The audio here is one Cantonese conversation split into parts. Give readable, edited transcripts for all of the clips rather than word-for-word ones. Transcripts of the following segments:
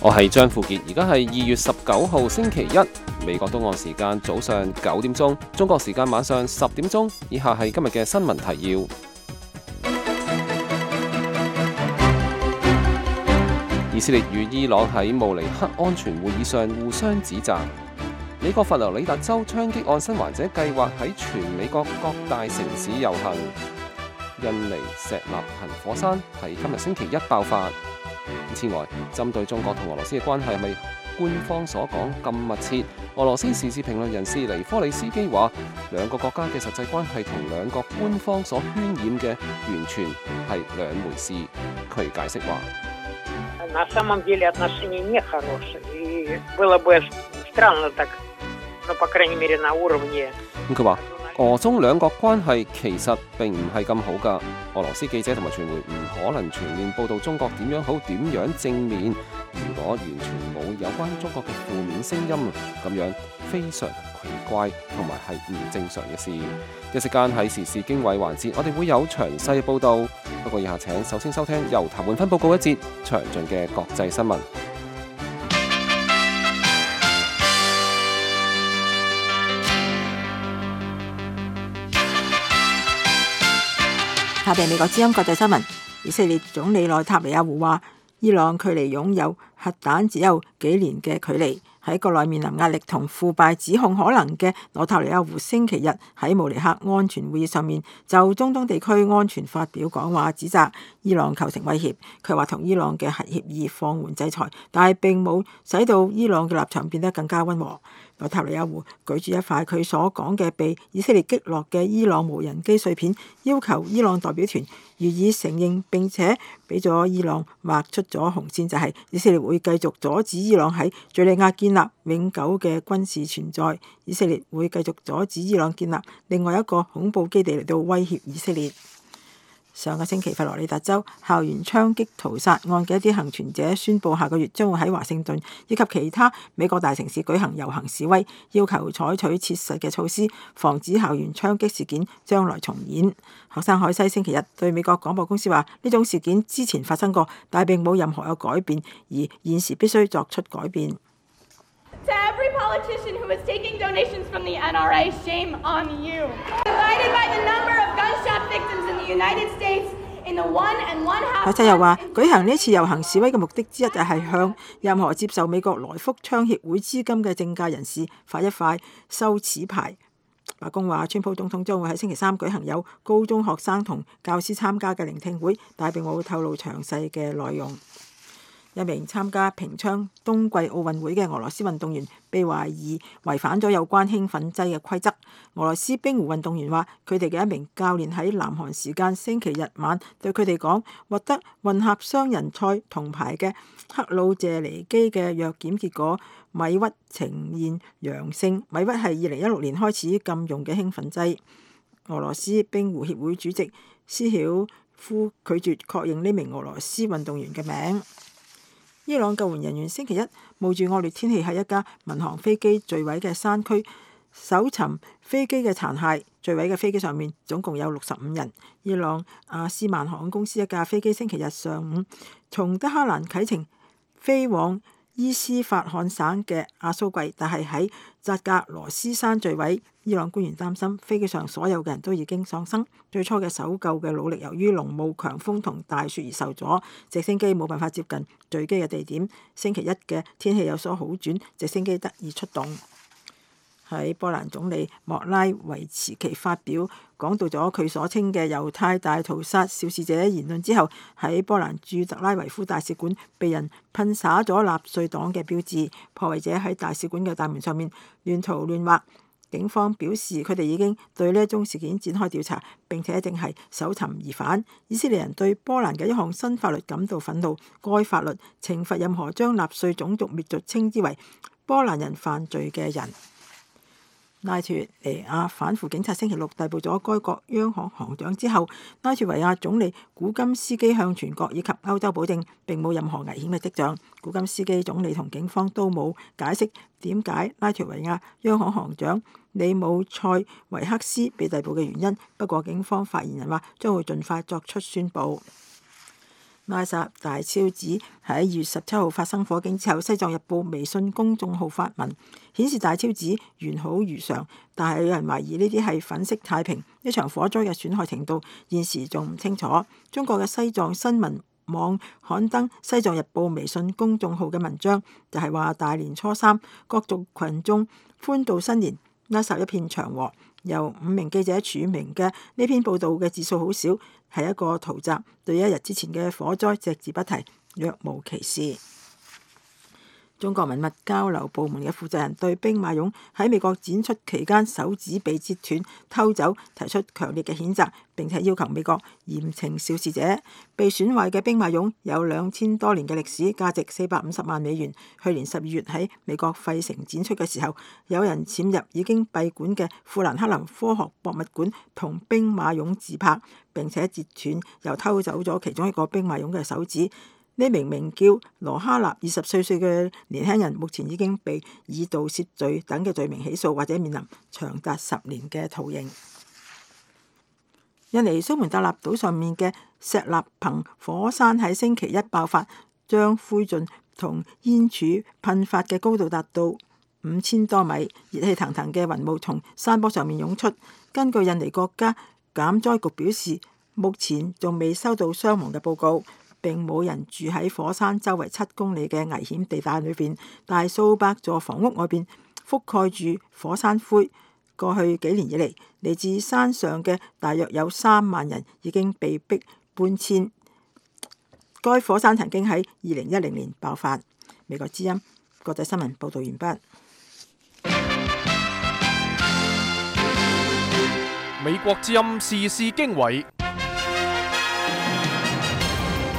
我係張富傑，而家係2月19號星期一，美國東岸時間早上9點鐘，中國時間晚上10點鐘。以下係今日嘅新聞提要。以色列與伊朗喺慕尼黑安全會議上互相指責。美國佛羅里達州槍擊案生還者計劃喺全美國各大城市遊行。印尼石納行火山喺今日星期一爆發。此外，針對中國同俄羅斯嘅關係係咪官方所講咁密切？俄羅斯時事評論人士尼科里斯基話，兩個國家嘅實際關係同兩個官方所渲染嘅完全係兩回事。佢解釋話：На самом деле отношения не хорошие, и было бы странно так, но по крайней мере на уровне。佢話俄中兩國關係其實並唔係咁好㗎。俄羅斯記者同埋傳媒唔可能全面報導中國點樣好點樣正面。如果完全冇有關中國嘅負面聲音，咁樣非常奇怪同埋係唔正常嘅事。一時間喺時事經緯環節，我哋會有詳細嘅報導。不過以下請首先收聽由譚煥芬報告一節詳盡嘅國際新聞。下邊美國之音國際新聞，以色列總理內塔尼亞胡話，伊朗距離擁有核彈只有幾年嘅距離。喺國內面臨壓力同腐敗指控可能嘅內塔尼亞胡星期日喺慕尼黑安全會議上面就中東地區安全發表講話，指責伊朗構成威脅。佢話同伊朗嘅核協議放緩制裁，但係並冇使到伊朗嘅立場變得更加溫和。內塔尼亞胡舉住一塊佢所講嘅被以色列擊落嘅伊朗無人機碎片，要求伊朗代表團予以承認，並且俾咗伊朗劃出咗紅線，就係以色列會繼續阻止伊朗喺敘利亞建立永久嘅軍事存在。以色列會繼續阻止伊朗建立另外一個恐怖基地嚟到威脅以色列。上個星期，佛羅里達州校園槍擊屠殺案嘅一啲幸存者宣布，下個月將會喺華盛頓以及其他美國大城市舉行遊行示威，要求採取切實嘅措施，防止校園槍擊事件將來重演。學生海西星期日對美國廣播公司話：呢種事件之前發生過，但係並冇任何嘅改變，而現時必須作出改變。To every politician who is taking donations from the NRA, shame on you. Divided by the number of gunshot victims in the United States in the 1.5。海西又話：舉行呢次遊行示威嘅目的之一就係向任何接受美國來福槍協會資金嘅政界人士發一塊羞恥牌。白宮話，川普總統將會喺星期三舉行有高中學生同教師參加嘅聆聽會，但係並冇透露詳細嘅內容。一名參加平昌冬季奧運會嘅俄羅斯運動員被懷疑違反咗有關興奮劑嘅規則。俄羅斯冰壺運動員話，佢哋嘅一名教練喺南韓時間星期日晚對佢哋講，獲得混合雙人賽銅牌嘅克魯謝尼基嘅藥檢結果米屈呈現陽性。米屈係2016年開始禁用嘅興奮劑。俄羅斯冰壺協會主席斯曉夫拒絕確認呢名俄羅斯運動員嘅名。伊朗救援人員星期一冒住惡劣天氣喺一架民航飛機墜毀嘅山區搜尋飛機嘅殘骸。墜毀嘅飛機上面總共有65人。伊朗阿斯曼航空公司一架飛機星期日上午從德黑蘭啟程飛往伊斯法罕省嘅阿蘇季，但係喺扎格羅斯山墜毀。伊朗官員擔心飛機上所有嘅人都已經喪生。最初嘅搜救嘅努力由於濃霧、強風同大雪而受阻，直升機冇辦法接近墜機嘅地點。星期一嘅天氣有所好轉，直升機得以出動。喺波蘭總理莫拉維茨奇發表講到咗佢所稱嘅猶太大屠殺肇事者言論之後，喺波蘭駐特拉維夫大使館被人噴灑咗納粹黨嘅標誌，破壞者喺大使館嘅大門上面亂塗亂畫。警方表示佢哋已經對呢一宗事件展開調查，並且正係搜尋疑犯。以色列人對波蘭嘅一項新法律感到憤怒，該法律懲罰任何將納粹種族滅族稱之為波蘭人犯罪嘅人。拉脫維亞反腐警察星期六逮捕咗該國央行行長之後，拉脫維亞總理古金斯基向全國以及歐洲保證並冇任何危險嘅跡象。古金斯基總理同警方都冇解釋點解拉脫維亞央行行長里姆塞維克斯被逮捕嘅原因。不過警方發言人話將會盡快作出宣佈。拉薩大昭寺喺2月17號發生火警之後，《西藏日報》微信公眾號發文顯示大昭寺完好如常，但係有人懷疑呢啲係粉飾太平，呢場火災嘅損害程度現時仲唔清楚。中國嘅西藏新聞網刊登《西藏日報》微信公眾號嘅文章，就係話大年初三各族群眾歡度新年，拉薩一片祥和。由5名記者署名嘅呢篇報道嘅字數好少，係一個圖集，對1日之前嘅火災隻字不提，若無其事。中國文物交流部門嘅負責人對兵馬俑喺美國展出期間手指被截斷偷走提出強烈嘅譴責，並且要求美國嚴懲肇事者。被損壞嘅兵馬俑有2000多年嘅歷史，價值450萬美元。去年12月喺美國費城展出嘅時候，有人潛入已經閉館嘅富蘭克林科學博物館同兵馬俑自拍，並且截斷又偷走咗其中一個兵馬俑嘅手指。呢名名叫羅哈納24歲嘅年輕人，目前已經被以盜竊罪等嘅罪名起訴，或者面臨長達10年嘅徒刑。印尼蘇門答臘島上面嘅石納彭火山喺星期一爆發，將灰燼同煙柱噴發嘅高度達到5000多米，熱氣騰騰嘅雲霧從山坡上面湧出。根據印尼國家減災局表示，目前仲未收到傷亡嘅報告。並冇人住喺火山周圍7公里嘅危險地帶裏邊，但係數百座房屋外邊覆蓋住火山灰。過去幾年以嚟，嚟自山上嘅大約有3萬人已經被迫搬遷。該火山曾經喺2010年爆發。美國之音國際新聞報道完畢。美國之音時事經緯。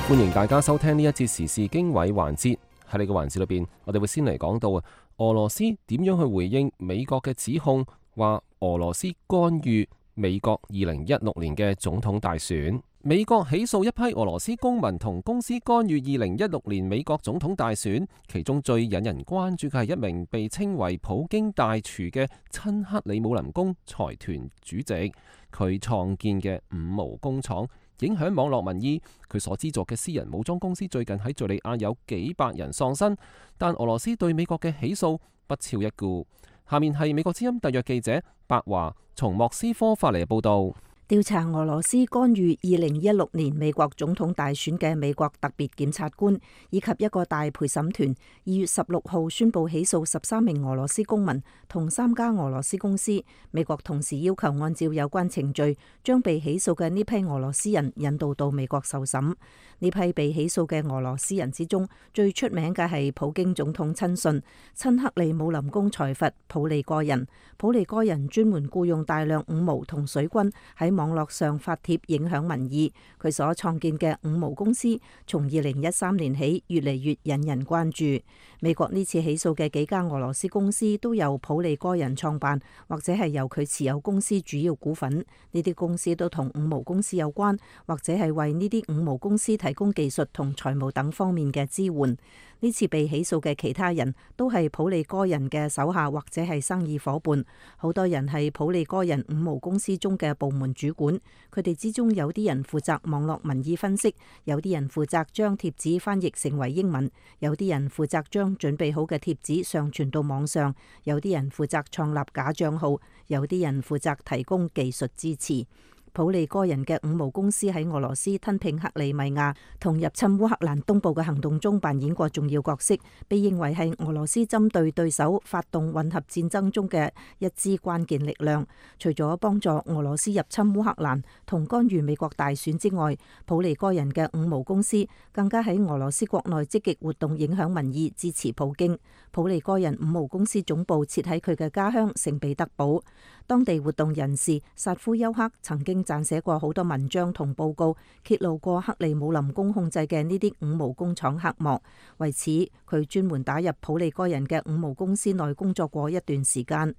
歡迎大家收聽呢一節時事經緯環節。喺呢個環節裏邊，我哋會先嚟講到俄羅斯點樣去回應美國嘅指控，話俄羅斯干預美國2016年嘅總統大選。美國起訴一批俄羅斯公民同公司干預2016年美國總統大選，其中最引人關注嘅係一名被稱為普京大廚嘅親克里姆林宮財團主席，佢創建嘅五毛工廠影響網絡民意。佢所資助嘅私人武裝公司最近喺敘利亞有幾百人喪生，但俄羅斯對美國嘅起訴不屑一顧。下面係美國之音特約記者白華從莫斯科發嚟嘅報道。調查俄羅斯干預2016年美國總統大選嘅美國特別檢察官以及一個大陪審團2月16號宣布起訴13名俄羅斯公民同3家俄羅斯公司。美國同時要求按照有關程序，將被起訴嘅呢批俄羅斯人引渡到美國受審。呢批被起訴嘅俄羅斯人之中，最出名嘅係普京總統親信親克里姆林宮財閥普利戈人。普利戈人專門僱用大量五毛同水軍喺網絡上發帖影響民意。佢所創建嘅五毛公司從2013年起越嚟越引人關注。美國呢次起訴嘅幾家俄羅斯公司都由普利戈人創辦，或者係由佢持有公司主要股份。呢啲公司都同五毛公司有關，或者係為呢啲五毛公司提供技術同財務等方面嘅支援。呢次被起訴嘅其他人都係普利戈人嘅手下或者係生意夥伴，好多人係普利戈人五毛公司中嘅部門主管。佢哋之中有啲人負責網絡民意分析，有啲人負責將貼紙翻譯成為英文，有啲人負責將準備好嘅貼紙上傳到網上，有啲人負責創立假賬號，有啲人負責提供技術支持。普利戈人嘅五毛公司喺俄羅斯吞併克里米亞同入侵烏克蘭東部嘅行動中扮演過重要角色，被認為係俄羅斯針對對手發動混合戰爭中嘅一支關鍵力量。除咗幫助俄羅斯入侵烏克蘭同干預美國大選之外，普利戈人嘅五毛公司更加喺俄羅斯國內積極活動，影響民意，支持普京。普利戈人五毛公司總部設喺佢嘅家鄉聖彼得堡。當地活動人士薩夫丘克曾經撰寫過好多文章同報告，揭露過克里姆林宮控制嘅呢啲五毛工廠黑幕。為此，佢專門打入普利戈人嘅五毛公司內工作過一段時間。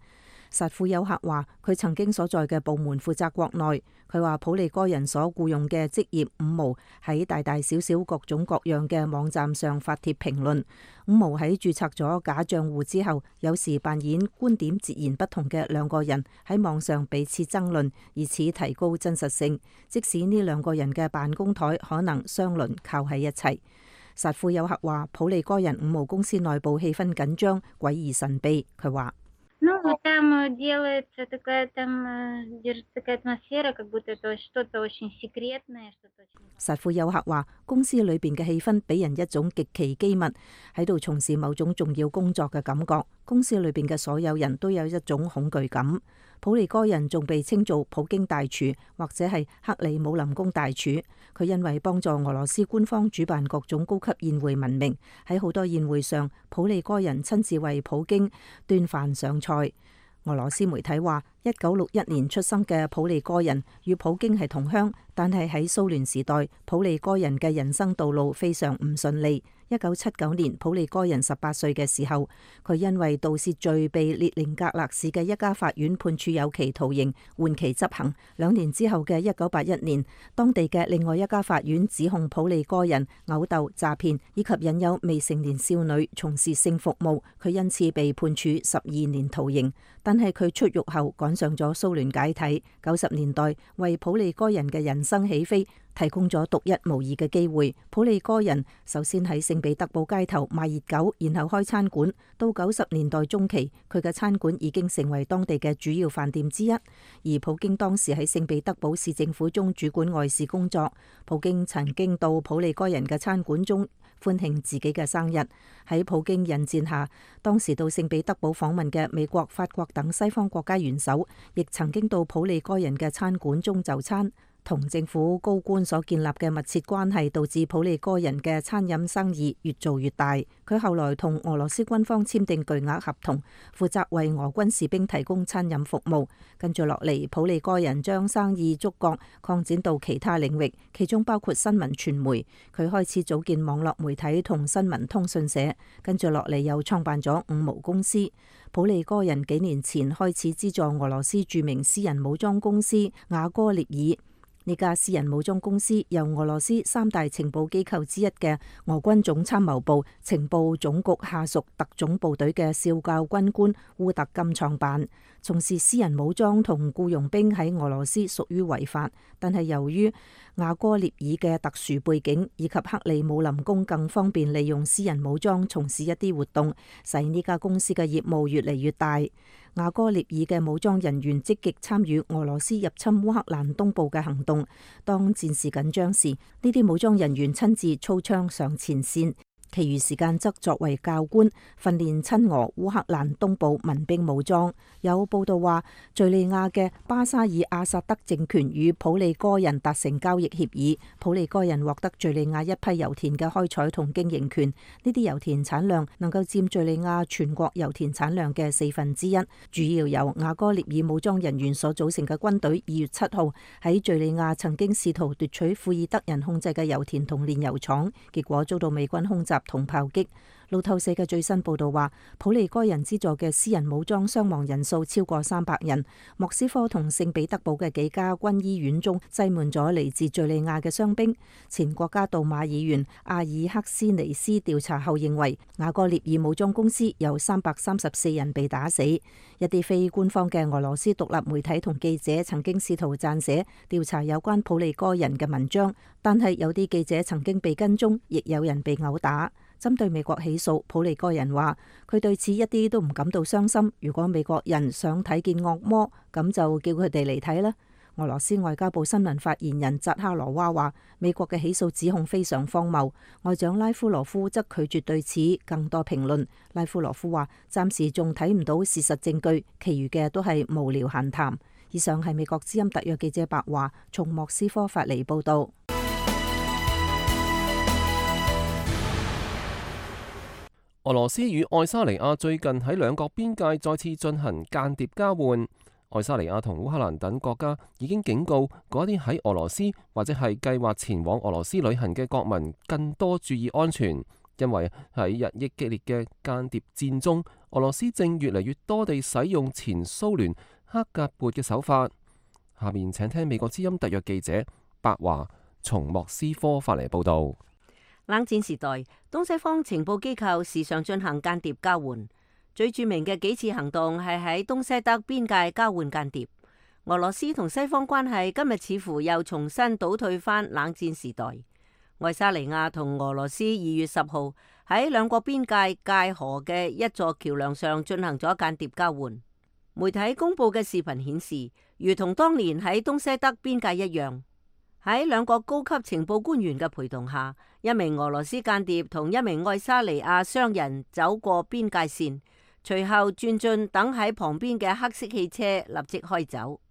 薩庫丘克話：佢曾經所在嘅部門負責國內。佢話普利戈人所僱用嘅職業五毛喺大大小小各種各樣嘅網站上發帖評論。五毛喺註冊咗假賬戶之後，有時扮演觀點截然不同嘅兩個人喺網上彼此爭論，以此提高真實性。即使呢兩個人嘅辦公台可能相鄰靠喺一齊。薩庫丘克話：普利戈人五毛公司內部氣氛緊張、詭異神秘。佢話：薩庫丘克話：公司裏邊嘅氣氛俾人一種極其機密，喺度從事某種重要工作嘅感覺。公司裏邊嘅所有人都有一種恐懼感。普利戈人仲被稱做普京大廚或者係克里姆林宮大廚。佢因為幫助俄羅斯官方主辦各種高級宴會聞名，喺好多宴會上，普利戈人親自為普京端飯上菜。俄羅斯媒體話，1961年出生嘅普利戈人與普京係同鄉，但係喺蘇聯時代，普利戈人嘅人生道路非常唔順利。1979年，普利戈人18歲嘅時候，佢因為盜竊罪被列寧格勒市嘅一家法院判處有期徒刑，緩期執行。2年之後嘅1981年，當地嘅另外一家法院指控普利戈人毆鬥、詐騙以及引誘未成年少女從事性服務，佢因此被判處12年徒刑。但係佢出獄後趕上咗蘇聯解體，90年代為普利戈人嘅人生起飛提供咗獨一無二嘅機會。普利戈人首先喺聖彼得堡街頭賣熱狗，然後開餐館。到90年代中期，佢嘅餐館已經成為當地嘅主要飯店之一。而普京當時喺聖彼得堡市政府中主管外事工作。普京曾經到普利戈人嘅餐館中歡慶自己嘅生日。喺普京引薦下，當時到聖彼得堡訪問嘅美國、法國等西方國家元首，亦曾經到普利戈人嘅餐館中就餐。同政府高官所建立嘅密切關係，導致普利戈人嘅餐飲生意越做越大。佢後來同俄羅斯軍方簽訂巨額合同，負責為俄軍士兵提供餐飲服務。跟住落嚟，普利戈人將生意觸角擴展到其他領域，其中包括新聞傳媒。佢開始組建網絡媒體同新聞通訊社。跟住落嚟又創辦咗五毛公司。普利戈人幾年前開始資助俄羅斯著名私人武裝公司瓦戈涅爾。呢家私人武裝公司由俄羅斯3大情報機構之一嘅俄軍總參謀部情報總局下屬特種部隊嘅少校軍官烏特金創辦。從事私人武裝同僱傭兵喺俄羅斯屬於違法，但係由於瓦戈涅爾嘅特殊背景以及克里姆林宮更方便利用私人武裝從事一啲活動，使呢家公司嘅業務越嚟越大。瓦戈涅爾嘅武裝人員積極參與俄羅斯入侵烏克蘭東部嘅行動。當戰事緊張時，呢啲武裝人員親自操槍上前線，其餘時間則作為教官，訓練親俄烏克蘭東部民兵武裝。有報道話，敘利亞嘅巴沙爾阿薩德政權與普利戈人達成交易協議，普利戈人獲得敘利亞一批油田嘅開採同經營權。呢啲油田產量能夠佔敘利亞全國油田產量嘅1/4，主要由瓦戈涅爾武裝人員所組成嘅軍隊2月7號喺敘利亞曾經試圖奪取庫爾德人控制嘅油田同煉油廠，結果遭到美軍空襲同炮擊。路透社嘅最新報道話，普利戈人資助嘅私人武裝傷亡人數超過300人。莫斯科同聖彼得堡嘅幾家軍醫院中擠滿咗嚟自敘利亞嘅傷兵。前國家杜馬議員阿爾克斯尼斯調查後認為，瓦戈涅爾武裝公司有334人被打死。一啲非官方嘅俄羅斯獨立媒體同記者曾經試圖撰寫調查有關普利戈人嘅文章，但係有啲記者曾經被跟蹤，亦有人被毆打。針對美國起訴，普利戈人話佢對此一啲都唔感到傷心。如果美國人想睇見惡魔，咁就叫佢哋嚟睇啦。俄羅斯外交部新聞發言人扎哈羅娃話，美國嘅起訴指控非常荒謬。外長拉夫羅夫則拒絕對此更多評論。拉夫羅夫話，暫時仲睇唔到事實證據，其餘嘅都係無聊閒談。以上係美國之音特約記者白華從莫斯科發嚟報道。俄羅斯與愛沙尼亞最近喺兩國邊界再次進行間諜交換。愛沙尼亞同烏克蘭等國家已經警告嗰啲喺俄羅斯或者係計劃前往俄羅斯旅行嘅國民更多注意安全。因為喺日益激烈嘅間諜戰中，俄羅斯正越嚟越多地使用前蘇聯克格勃嘅手法。下面請聽美國之音特約記者白華從莫斯科發嚟報道。冷戰時代，東西方情報機構時常進行間諜交換，最著名嘅幾次行動係喺東西德邊界交換間諜。俄羅斯同西方關係今日似乎又重新倒退返冷戰時代。愛沙尼亞同俄羅斯2月10號喺兩國邊界界河嘅一座橋樑上進行咗間諜交換。媒體公佈嘅視頻顯示，如同當年喺東西德邊界一樣，喺兩國高級情報官員嘅陪同下，一名俄羅斯間諜同一名愛沙尼亞商人走過邊界線，隨後轉進等喺旁邊嘅黑色汽車，立即開走。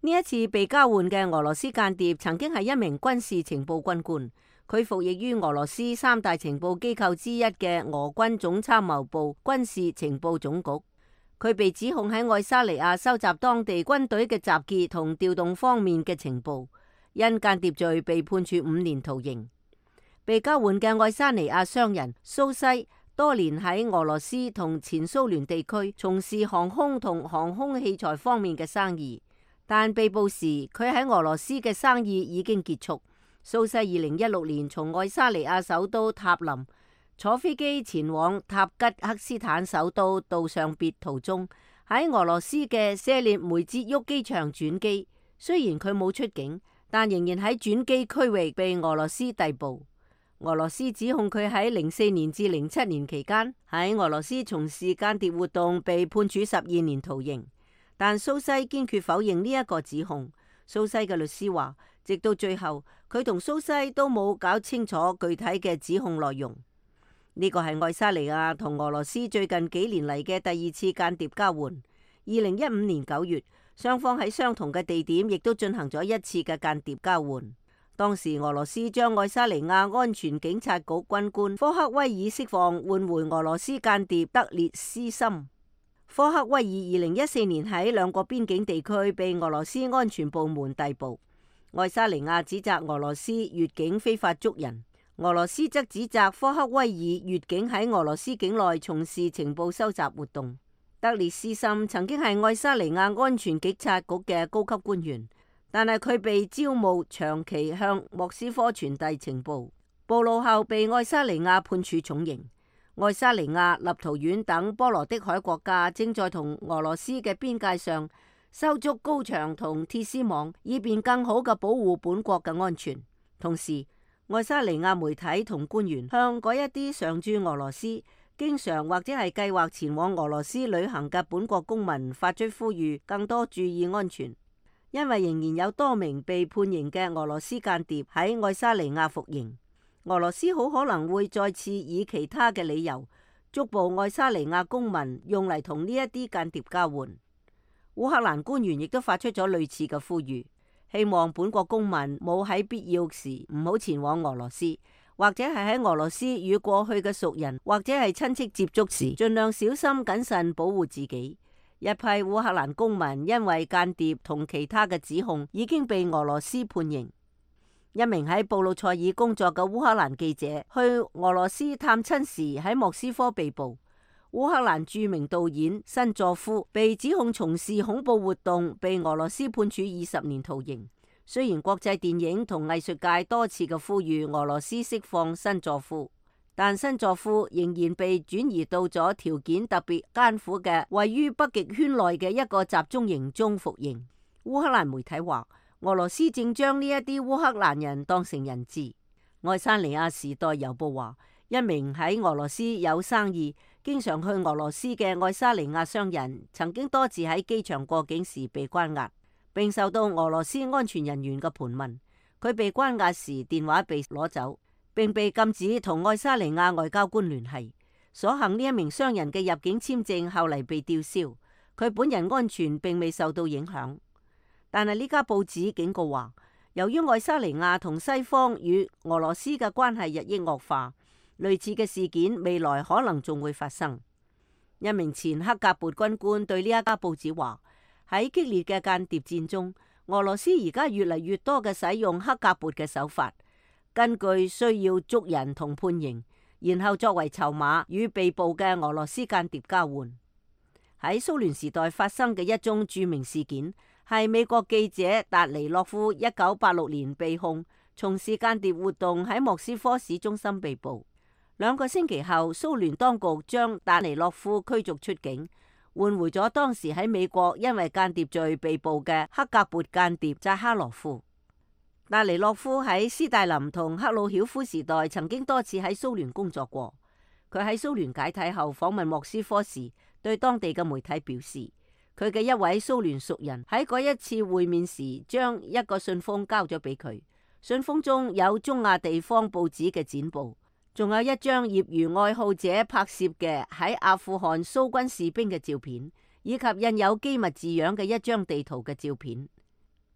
呢一次被交換嘅俄羅斯間諜曾經係一名軍事情報軍官，佢服役於俄羅斯3大情報機構之一嘅俄軍總參謀部軍事情報總局。佢被指控喺愛沙尼亞收集當地軍隊嘅集結同調動方面嘅情報，因間諜罪被判處5年徒刑。被交換嘅愛沙尼亞商人蘇西多年喺俄羅斯同前蘇聯地區從事航空同航空器材方面嘅生意。但被捕時，佢喺俄羅斯嘅生意已經結束。蘇西2016年從愛沙尼亞首都塔林坐飛機前往塔吉克斯坦首都杜尚別途中，喺俄羅斯嘅謝列梅捷沃機場轉機。雖然佢冇出境，但仍然喺轉機區域被俄羅斯逮捕。俄羅斯指控佢喺04年至07年期間喺俄羅斯從事間諜活動，被判處12年徒刑。但蘇西堅決否認呢一個指控。蘇西嘅律師話，直到最後，佢同蘇西都冇搞清楚具體嘅指控內容。呢個係愛沙尼亞同俄羅斯最近幾年嚟嘅第2次間諜交換。2015年9月，雙方喺相同嘅地點亦都進行咗一次嘅間諜交換。當時俄羅斯將愛沙尼亞安全警察局軍官科克威爾釋放，換回俄羅斯間諜德列斯森。科克威爾2014年喺兩國邊境地區被俄羅斯安全部門逮捕。愛沙尼亞指責俄羅斯越境非法捉人，俄羅斯則指責科克威爾越境喺俄羅斯境內從事情報收集活動。德列斯森曾經係愛沙尼亞安全警察局嘅高級官員，但係佢被招募長期向莫斯科傳遞情報，暴露後被愛沙尼亞判處重刑。愛沙尼亞、立陶宛等波羅的海國家正在同俄羅斯嘅邊界上修築高牆同鐵絲網，以便更好嘅保護本國嘅安全。同時，愛沙尼亞媒體同官員向嗰一啲常駐俄羅斯、經常或者係計劃前往俄羅斯旅行嘅本國公民發出呼籲，更多注意安全，因為仍然有多名被判刑嘅俄羅斯間諜喺愛沙尼亞服刑。俄羅斯好可能會再次以其他嘅理由捉捕愛沙尼亞公民，用嚟同呢一啲間諜交換。烏克蘭官員亦都發出咗類似嘅呼籲，希望本國公民冇喺必要時唔好前往俄羅斯，或者係喺俄羅斯與過去嘅熟人或者係親戚接觸時，盡量小心謹慎保護自己。一批烏克蘭公民因為間諜同其他嘅指控，已經被俄羅斯判刑。一名喺布魯塞爾工作嘅烏克蘭記者去俄羅斯探親時喺莫斯科被捕。烏克蘭著名導演辛佐夫被指控從事恐怖活動，被俄羅斯判處20年徒刑。雖然國際電影同藝術界多次嘅呼籲俄羅斯釋放辛佐夫，但辛佐夫仍然被轉移到咗條件特別艱苦嘅位於北極圈內嘅一個集中營中服刑。烏克蘭媒體話，俄羅斯正將呢一啲烏克蘭人當成人質。愛沙尼亞時代郵報話，一名喺俄羅斯有生意、經常去俄羅斯嘅愛沙尼亞商人，曾經多次喺機場過境時被關押，並受到俄羅斯安全人員嘅盤問。佢被關押時電話被攞走，並被禁止同愛沙尼亞外交官聯繫。所幸呢一名商人嘅入境簽證後嚟被吊銷，佢本人安全並未受到影響。但係呢家報紙警告話，由於愛沙尼亞同西方與俄羅斯嘅關係日益惡化，類似嘅事件未來可能仲會發生。一名前克格勃軍官對呢一家報紙話，喺激烈嘅間諜戰中，俄羅斯而家越嚟越多嘅使用克格勃嘅手法，根據需要捉人同判刑，然後作為籌碼與被捕嘅俄羅斯間諜交換。喺蘇聯時代發生嘅一宗著名事件，係美國記者達尼洛夫1986年被控從事間諜活動喺莫斯科市中心被捕。2個星期後，蘇聯當局將達尼洛夫驅逐出境，換回咗當時喺美國因為間諜罪被捕嘅克格勃間諜扎哈羅夫。達尼洛夫喺斯大林同赫魯曉夫時代曾經多次喺蘇聯工作過。佢喺蘇聯解體後訪問莫斯科時，對當地嘅媒體表示，佢嘅一位蘇聯熟人喺嗰一次會面時，將一個信封交咗俾佢。信封中有中亞地方報紙嘅剪報，仲有一張業餘愛好者拍攝嘅喺阿富汗蘇軍士兵嘅照片，以及印有機密字樣嘅一張地圖嘅照片。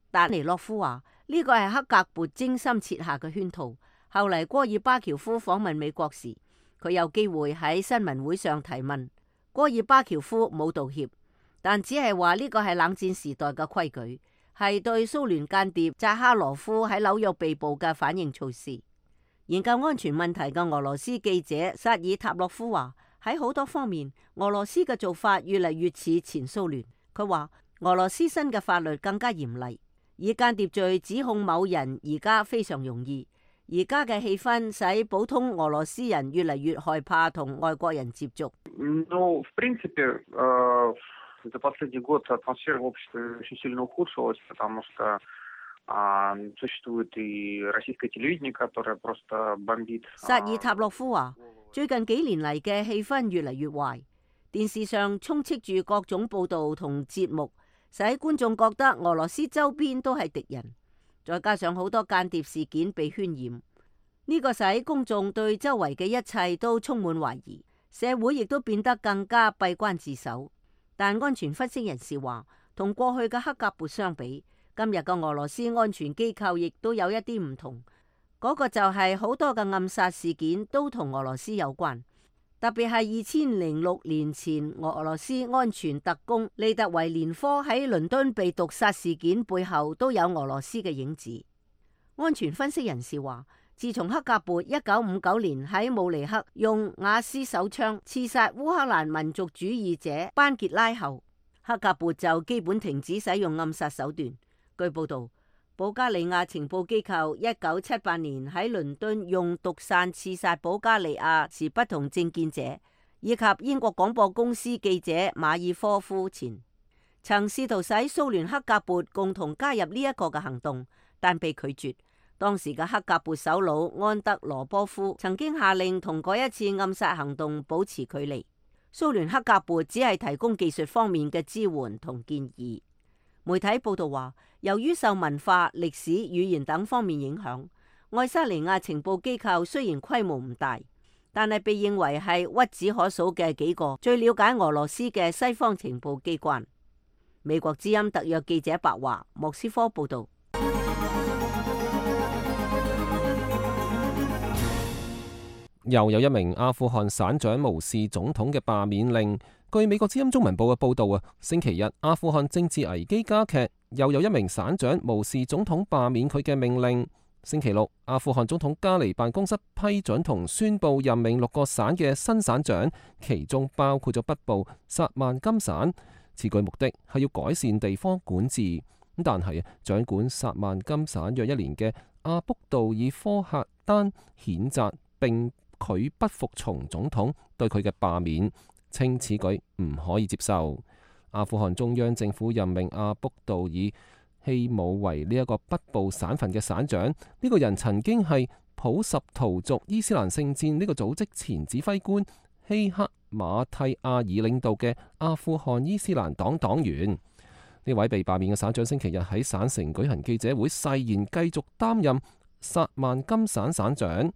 達尼洛夫話呢個係克格勃精心設下嘅圈套。後嚟戈爾巴喬夫訪問美國時，佢有機會喺新聞會上提問，戈爾巴喬夫冇道歉，但只係話呢個係冷戰時代嘅規矩，係對蘇聯間諜扎哈羅夫喺紐約被捕嘅反應措施。研究安全問題嘅俄羅斯記者薩爾塔洛夫話，喺好多方面，俄羅斯嘅做法越嚟越似前蘇聯。佢話俄羅斯新嘅法律更加嚴厲，以間諜罪指控某人而家非常容易。而家嘅氣氛使普通俄羅斯人越嚟越害怕同外國人接觸。В принципе, за последний год атмосфера в обществе очень сильно ухудшилась, потому что существует и российское телевидение, которое просто бомбит. 薩爾塔洛夫話：最近幾年嚟嘅氣氛越嚟越壞，電視上充斥住各種報導同節目，使觀眾覺得俄羅斯周邊都係敵人。再加上好多間諜事件被渲染，呢個使公眾對周圍嘅一切都充滿懷疑，社會亦都變得更加閉關自守。但安全分析人士話，同過去嘅克格勃相比，今日嘅俄羅斯安全機構亦都有一啲唔同。嗰個就係好多嘅暗殺事件都同俄羅斯有關，特別係2006年前俄羅斯安全特工利特維連科喺倫敦被毒殺事件背後都有俄羅斯嘅影子。安全分析人士話，自從克格勃1959年喺慕尼黑用瓦斯手槍刺殺烏克蘭民族主義者班傑拉後，克格勃就基本停止使用暗殺手段。據報道，保加利亞情報機構1978年喺倫敦用毒傘刺殺保加利亞持不同政見者，以及英國廣播公司記者馬爾科夫前，曾試圖使蘇聯克格勃共同加入呢一個嘅行動，但被拒絕。當時嘅克格勃首腦安德羅波夫曾經下令同嗰一次暗殺行動保持距離。蘇聯克格勃只係提供技術方面嘅支援同建議。媒體報道話，由於受文化、歷史、語言等方面影響，愛沙尼亞情報機構雖然規模唔大，但係被認為係屈指可數嘅幾個最了解俄羅斯嘅西方情報機關。美國之音特約記者白華，莫斯科報道。又有一名阿富汗省長無視總統嘅罷免令。據美國之音中文報嘅報導星期日阿富汗政治危機加劇，又有一名省長無視總統罷免佢嘅命令。星期六，阿富汗總統加尼辦公室批准同宣布任命6個省嘅新省長，其中包括咗北部薩曼金省。此舉目的係要改善地方管治。但係掌管薩曼金省約1年嘅阿卜杜爾科赫丹譴責並佢不服從總統對佢嘅罷免，稱此舉唔可以接受。阿富汗中央政府任命阿卜杜爾希姆為呢一個北部省份嘅省長。呢個人曾經係普什圖族伊斯蘭聖戰呢個組織前指揮官希克馬蒂亞爾領導嘅阿富汗伊斯蘭黨黨員。呢位被罷免嘅省長星期日喺省城舉行記者會，誓言繼續擔任薩曼金省省長。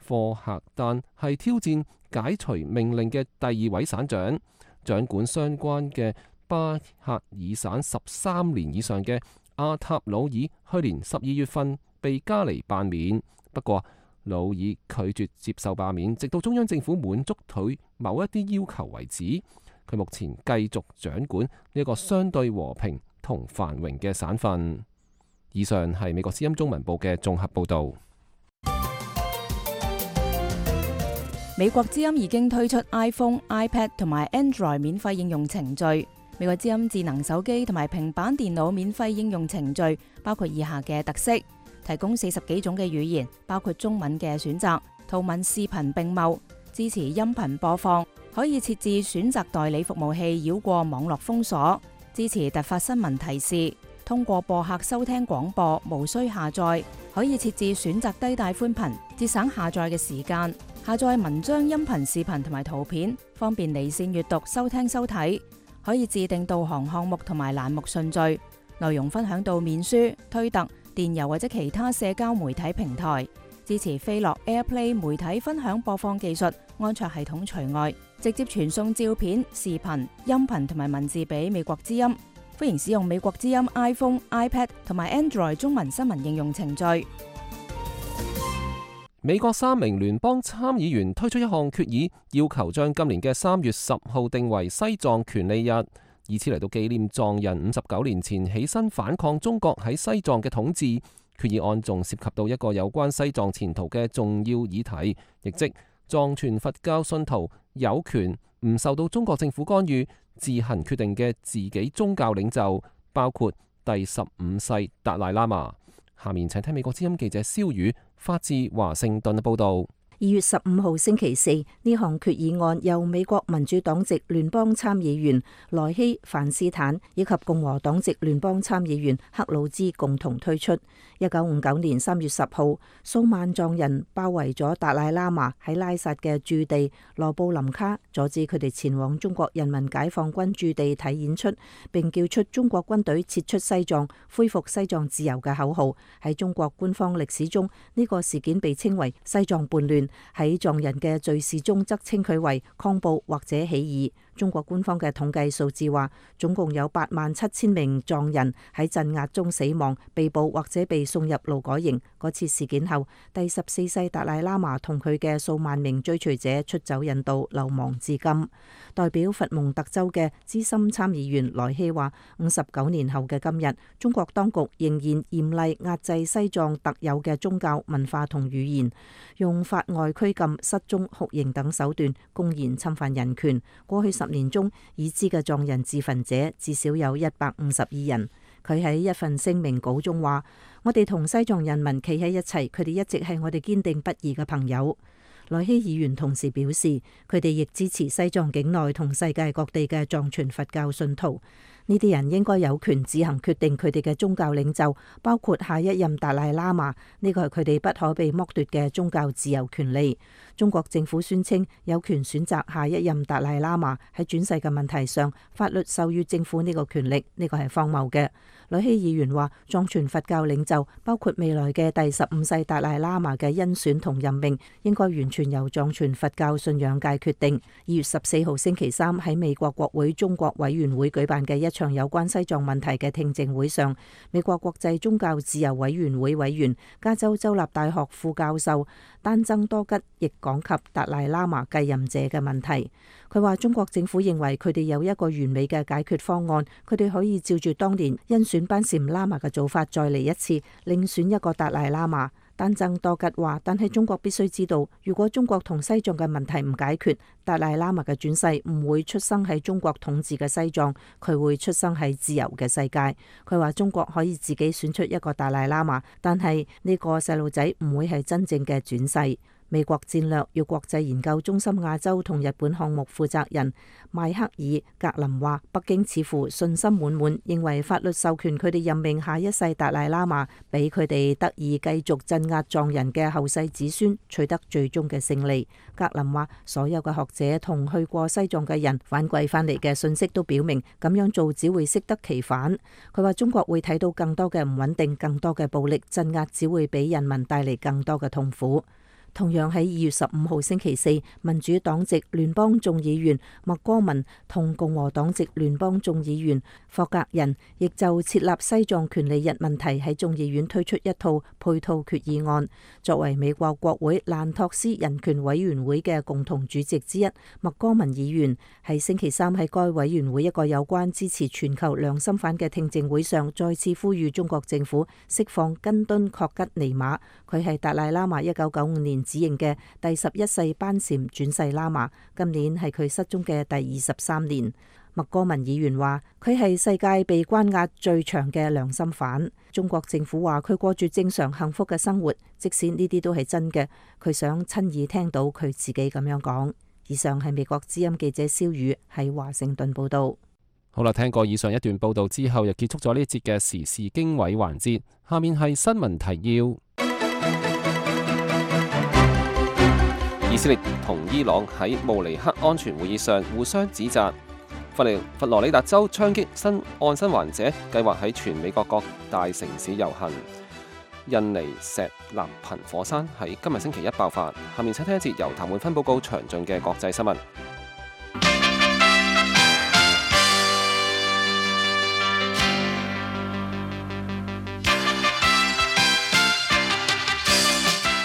科赫丹係挑戰解除命令嘅第2位省長，掌管相關嘅巴克爾省13年以上嘅阿塔魯爾去年12月份被加尼罷免，不過魯爾拒絕接受罷免，直到中央政府滿足佢某一啲要求為止。佢目前繼續掌管呢一個相對和平同繁榮嘅省份。以上係美國之音中文部嘅綜合報導。美國之音已經推出 iPhone、iPad 同埋 Android 免費應用程序。美國之音智能手機同埋平板電腦免費應用程序包括以下嘅特色：提供40幾種嘅語言，包括中文嘅選擇，圖文視頻並茂，支持音頻播放，可以設置選擇代理服務器繞過網絡封鎖，支持突發新聞提示，通過播客收聽廣播，無需下載，可以設置選擇低帶寬頻，節省下載嘅時間，下載文章、音頻、視頻同埋圖片，方便離線閱讀、收聽收睇，可以自定導航項目同埋欄目順序，內容分享到面書、推特、電郵或者其他社交媒體平台，支持飛樂 AirPlay 媒體分享播放技術，安卓系統除外，直接傳送照片、視頻、音頻同埋文字俾美國之音。歡迎使用美國之音 iPhone、iPad 同埋 Android 中文新聞應用程序。美國3名聯邦參議員推出一項決議，要求將今年嘅3月10號定為西藏權利日，以此嚟到紀念藏人59年前起身反抗中國喺西藏嘅統治。決議案仲涉及到一個有關西藏前途嘅重要議題，亦即藏傳佛教信徒有權唔受到中國政府干預，自行決定嘅自己宗教領袖，包括第15世達賴喇嘛。下面請聽美國之音記者蕭宇發自華盛頓嘅報道。2月15號星期四，呢項決議案由美國民主黨籍聯邦參議員萊希范斯坦以及共和黨籍聯邦參議員克魯茲共同推出。1959年3月10號，數萬藏人包圍咗達賴喇嘛喺拉薩嘅駐地羅布林卡，阻止佢哋前往中國人民解放軍駐地睇演出，並叫出中國軍隊撤出西藏、恢復西藏自由嘅口號。喺中國官方歷史中，呢個事件被稱為西藏叛亂。喺藏人嘅敘事中則稱佢為抗暴或者起義。中國官方嘅統計數字話，總共有87000名藏人喺鎮壓中死亡、被捕或者被送入勞改營。嗰次事件後，第14世達賴喇嘛同佢嘅數萬名追隨者出走印度，流亡至今。代表佛蒙特州嘅資深參議員萊希話，59年後嘅今日，中國當局仍然嚴厲壓制西藏特有嘅宗教文化同語言，用法外拘禁、失蹤、酷刑等手段公然侵犯人權。過去10年中，已知嘅藏人自焚者至少有152人。佢喺一份聲明稿中話：我哋同西藏人民企喺一齊，佢哋一直係我哋堅定不移嘅朋友。萊希議員同時表示，佢哋亦支持西藏境內同世界各地嘅藏傳佛教信徒。呢啲人應該有權自行決定佢哋嘅宗教領袖，包括下一任達賴喇嘛。呢個係佢哋不可被剝奪嘅宗教自由權利。中國政府宣稱有權選擇下一任達賴喇嘛，喺轉世嘅問題上，法律授予政府呢個權力，呢個係荒謬嘅。萊希議員話，藏傳佛教領袖，包括未來嘅第15世達賴喇嘛嘅甄選同任命，應該完全由藏傳佛教信仰界決定。2月14號星期三喺美國國會中國委員會舉辦嘅一場有關西藏問題嘅聽證會上，美國國際宗教自由委員會委員、加州州立大學副教授丹增多吉亦講及達賴喇嘛繼任者嘅問題。佢話中國政府認為佢哋有一個完美嘅解決方案，佢哋可以照住當年甄選班禪喇嘛嘅做法再嚟一次，另選一個達賴喇嘛。丹增多吉話，但係中國必須知道，如果中國同西藏嘅問題唔解決，達賴喇嘛嘅轉世唔會出生喺中國統治嘅西藏，佢會出生喺自由嘅世界。佢話中國可以自己選出一個達賴喇嘛，但係呢個細路仔唔會係真正嘅轉世。美國戰略與國際研究中心亞洲同日本項目負責人邁克爾格林話，北京似乎信心滿滿，認為法律授權佢哋任命下一世達賴喇嘛，俾佢哋得以繼續鎮壓藏人嘅後世子孫取得最終嘅勝利。格林話，所有嘅學者同去過西藏嘅人反饋翻嚟嘅信息都表明，咁樣做只會適得其反。佢話中國會睇到更多嘅唔穩定，更多嘅暴力，鎮壓只會俾人民帶嚟更多嘅痛苦。同樣喺2月15號星期四，民主黨籍聯邦眾議員麥戈文同共和黨籍聯邦眾議員霍格人亦就設立西藏權利日問題喺眾議院推出一套配套決議案。作為美國國會蘭托斯人權委員會嘅共同主席之一，麥戈文議員喺星期三喺該委員會一個有關支持全球良心犯嘅聽證會上，再次呼籲中國政府釋放根敦確吉尼瑪。佢係達賴喇嘛1995年指認嘅第11世班禪轉世喇嘛，今年係佢失蹤嘅第23年。麥戈文議員話佢係世界被關押最長嘅良心犯。中國政府話佢過住正常幸福嘅生活，即使呢啲都係真嘅，佢想親耳聽到佢自己咁樣講。以上係美國之音記者蕭宇喺華盛頓報道。好啦，聽過以上一段報道之後，又結束咗呢一節嘅時事經緯環節。下面係新聞提要。以色列同伊朗喺慕尼黑安全會議上互相指責。佛羅里達州槍擊案生還者計劃喺全美國各大城市遊行。印尼石南頻火山喺今日星期一爆發。下面請聽一節由譚滿芬報告詳盡嘅國際新聞。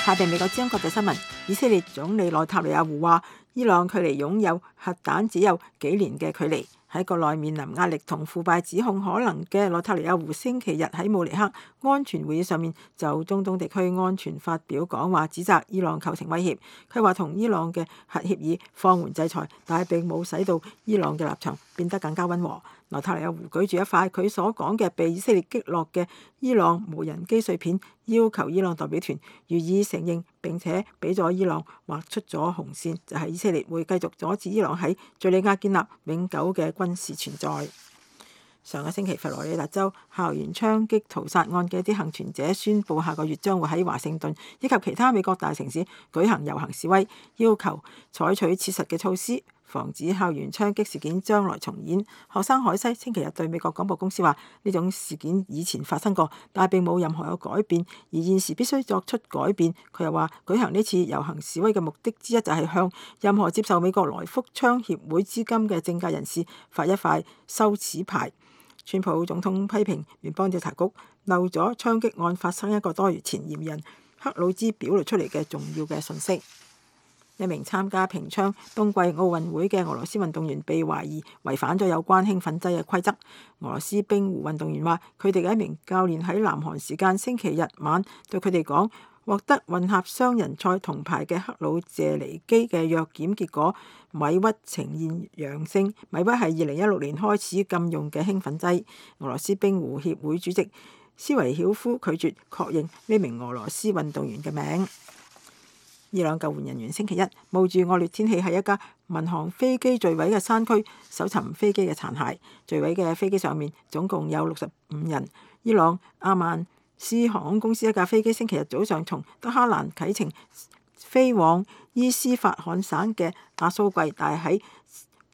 下邊美國之音國際新聞，以色列總理內塔尼亞胡話，伊朗距離擁有核彈只有幾年嘅距離。喺國內面臨壓力同腐敗指控可能嘅內塔尼亞胡星期日喺慕尼黑安全會議上面就中東地區安全發表講話，指責伊朗構成威脅。佢話同伊朗嘅核協議放緩制裁，但係並冇使到伊朗嘅立場變得更加溫和。內塔尼亞胡舉住一塊佢所講嘅被以色列擊落嘅伊朗無人機碎片，要求伊朗代表團予以承認，並且俾咗伊朗劃出咗紅線，就係以色列會繼續阻止伊朗喺敘利亞建立永久嘅軍事存在。上個星期，佛羅里達州校園槍擊屠殺案嘅一啲幸存者宣布，下個月將會喺華盛頓以及其他美國大城市舉行遊行示威，要求採取切實嘅措施，防止校園槍擊事件將來重演。學生海西星期日對美國廣播公司話：呢種事件以前發生過，但係並冇任何有改變，而現時必須作出改變。佢又話：舉行呢次遊行示威嘅目的之一就係向任何接受美國來福槍協會資金嘅政界人士發一塊羞恥牌。川普總統批評聯邦調查局漏咗槍擊案發生一個多月前嫌疑人克魯茲表露出嚟嘅重要嘅信息。一名參加平昌冬季奧運會嘅俄羅斯運動員被懷疑違反咗有關興奮劑嘅規則。俄羅斯冰壺運動員話：佢哋嘅一名教練喺南韓時間星期日晚對佢哋講，獲得混合雙人賽銅牌嘅克魯謝尼基嘅藥檢結果米鬱呈現陽性。米鬱係2016年開始禁用嘅興奮劑。俄羅斯冰壺協會主席斯維曉夫拒絕確認呢名俄羅斯運動員嘅名。伊朗救援人員星期一冒住惡劣天氣喺一架民航飛機墜毀嘅山區搜尋飛機嘅殘骸。墜毀嘅飛機上面總共有65人。伊朗阿曼斯航空公司一架飛機星期日早上從德黑蘭啟程飛往伊斯法罕省嘅阿蘇季，但係喺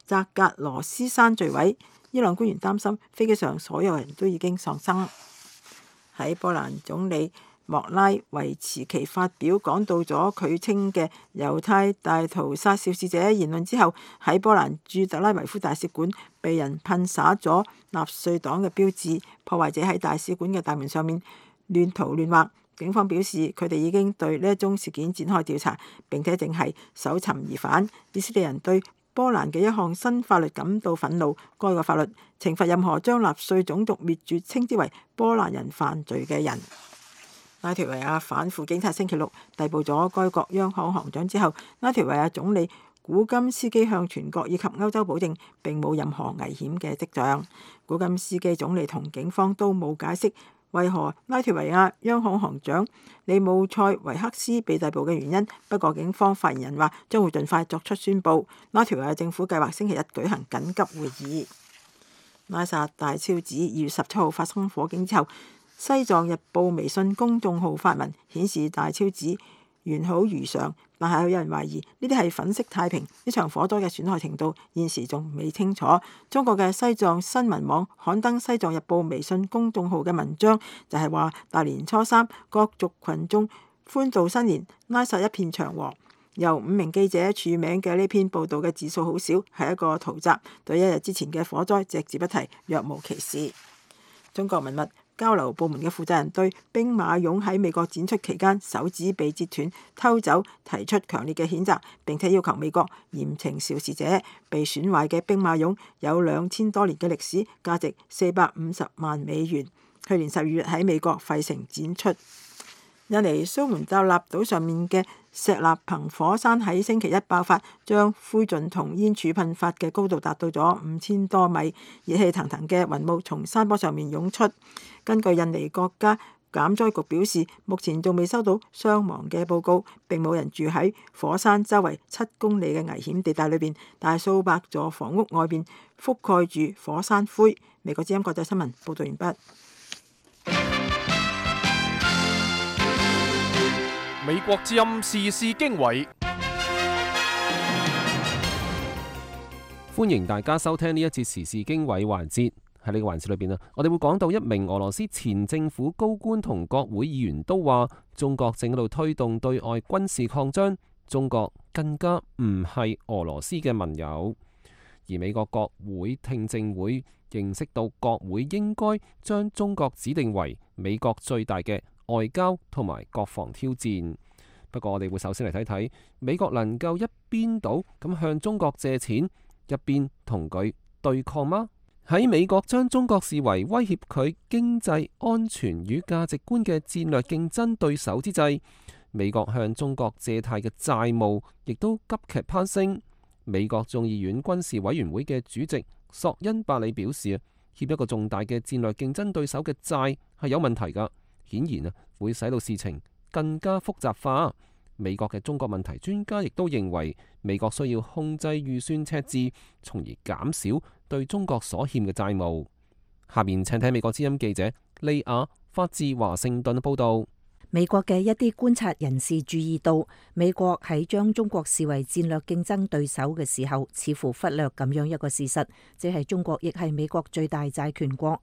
扎格羅斯山墜毀。伊朗官員擔心飛機上所有人都已經喪生。喺波蘭總理莫拉維茨奇發表講到咗佢稱嘅猶太大屠殺肇事者言論之後，喺波蘭駐特拉維夫大使館被人噴灑咗納粹黨嘅標誌，破壞者喺大使館嘅大門上面亂塗亂畫。警方表示佢哋已經對呢一宗事件展開調查，並且正係搜尋疑犯。以色列人對波蘭嘅一項新法律感到憤怒，該個法律懲罰任何將納粹種族滅絕稱之為波蘭人犯罪嘅人。拉脫維亞反腐警察星期六逮捕咗該國央行行長之後，拉脫維亞總理古金斯基向全國以及歐洲保證並冇任何危險嘅跡象。古金斯基總理同警方都冇解釋為何拉脫維亞央行行長利姆塞維克斯被逮捕嘅原因，不過警方發言人話將會盡快作出宣佈。拉脫維亞政府計劃星期日舉行緊急會議。拉薩大昭寺2月17號發生火警之後，西藏日報微信公眾號發文顯示大昭寺完好如常，但係有人懷疑呢啲係粉飾太平。呢場火災嘅損害程度現時仲未清楚。中國嘅西藏新聞網刊登西藏日報微信公眾號嘅文章，就係話大年初三各族群眾歡度新年，拉薩一片祥和。由5名記者署名嘅呢篇報導嘅字數好少，係一個圖集，對1日之前嘅火災隻字不提，若無其事。中國文物交流部門嘅負責人對兵馬俑喺美國展出期間手指被截斷、偷走提出強烈嘅譴責，並且要求美國嚴懲肇事者。被損壞嘅兵馬俑有2000多年嘅歷史，價值450萬美元。去年12月喺美國費城展出。印尼蘇門答臘島上面嘅石納彭火山喺星期一爆發，將灰燼同煙柱噴發嘅高度達到咗5000多米，熱氣騰騰嘅雲霧從山坡上面湧出。根據印尼國家減災局表示，目前仲未收到傷亡嘅報告，並冇人住喺火山周圍7公里嘅危險地帶裏邊，但係數百座房屋外邊覆蓋住火山灰。美國之音國際新聞報道完畢。美國之音時事經緯，歡迎大家收聽呢一節時事經緯環節。喺呢個環節裏邊啊，我哋會講到一名俄羅斯前政府高官同國會議員都話，中國正喺度推動對外軍事擴張，中國更加唔係俄羅斯嘅盟友。而美國國會聽證會認識到國會應該將中國指定為美國最大嘅外交同埋國防挑戰。不過我哋會首先嚟睇睇美國能夠一邊倒咁向中國借錢，一邊同佢對抗嗎？喺美國將中國視為威脅佢經濟安全與價值觀嘅戰略競爭對手之際，美國向中國借貸嘅債務亦都急劇攀升。美國眾議院軍事委員會嘅主席索恩伯里表示，欠一個重大嘅戰略競爭對手嘅債係有問題㗎，顯然會使到事情更加複雜化。美國嘅中國問題專家亦都認為，美國需要控制預算赤字，從而減少對中國所欠嘅債務。下面請睇美國之音記者利亞發自華盛頓報道。美國嘅一啲觀察人士注意到，美國喺將中國視為戰略競爭對手嘅時候，似乎忽略咁樣一個事實，即係中國亦係美國最大債權國。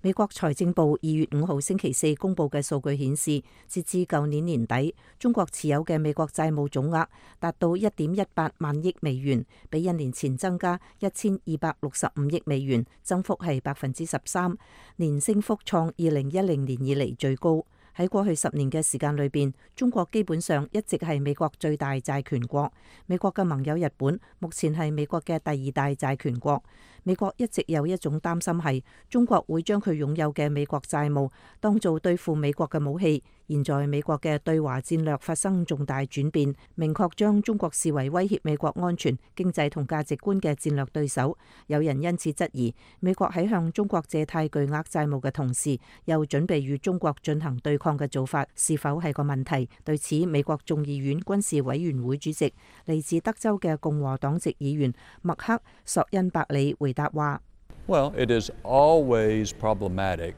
美國財政部2月5號星期四公佈嘅數據顯示，截至舊年年底，中國持有嘅美國債務總額達到1.18萬億美元，比1年前增加1265億美元，增幅係13%，年升幅創2010年以嚟最高。喺過去10年嘅時間裏邊，中國基本上一直係美國最大債權國。美國嘅盟友日本目前係美國嘅第2大債權國。美國一直有一種擔心係中國會將佢擁有嘅美國債務當做對付美國嘅武器。現在美國嘅對華戰略發生重大轉變，明確將中國視為威脅美國安全、經濟同價值觀嘅戰略對手。有人因此質疑，美國喺向中國借貸巨額債務嘅同時，又準備與中國進行對抗嘅做法，是否係個問題？對此，美國眾議院軍事委員會主席嚟自德州嘅共和黨籍議員麥克索恩伯里回答話：Well, it is always problematic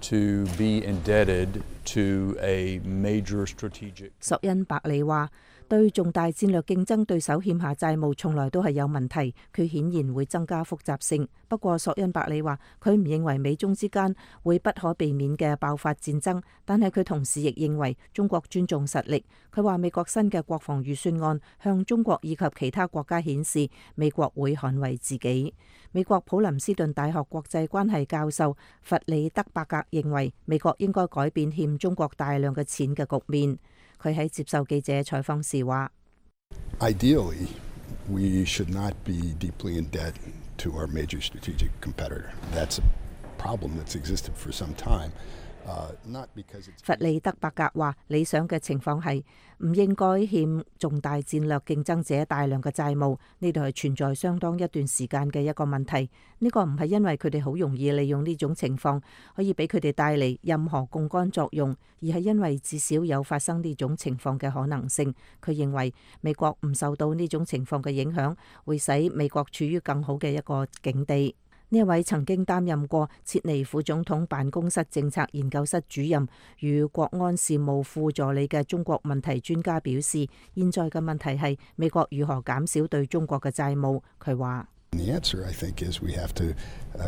to be indebted to a major strategic。索恩伯里話：對重大戰略競爭對手欠下債務，從來都係有問題，佢顯然會增加複雜性。不過，索恩伯里話佢唔認為美中之間會不可避免嘅爆發戰爭，但係佢同時亦認為中國尊重實力。佢話美國新嘅國防預算案向中國以及其他國家顯示，美國會捍衛自己。美國普林斯頓大學國際關係教授弗里德伯格認為，美國應該改變欠中國大量嘅錢嘅局面。佢喺接受記者採訪時話：Ideally, we should not be deeply in debt to our major strategic competitor. That's a problem that's existed for some time. 弗里德伯格話：理想嘅情況係唔應該欠重大戰略競爭者大量嘅債務，呢度係存在相當一段時間嘅一個問題。呢個唔係因為佢哋好容易利用呢種情況可以俾佢哋帶嚟任何槓桿作用，而係因為至少有發生呢種情況嘅可能性。佢認為美國唔受到呢種情況嘅影響，會使美國處於更好嘅一個境地。呢一位曾經擔任過切尼副總統辦公室政策研究室主任與國安事務副助理嘅中國問題專家表示，現在嘅問題係美國如何減少對中國嘅債務。佢話：The answer, I think, is we have to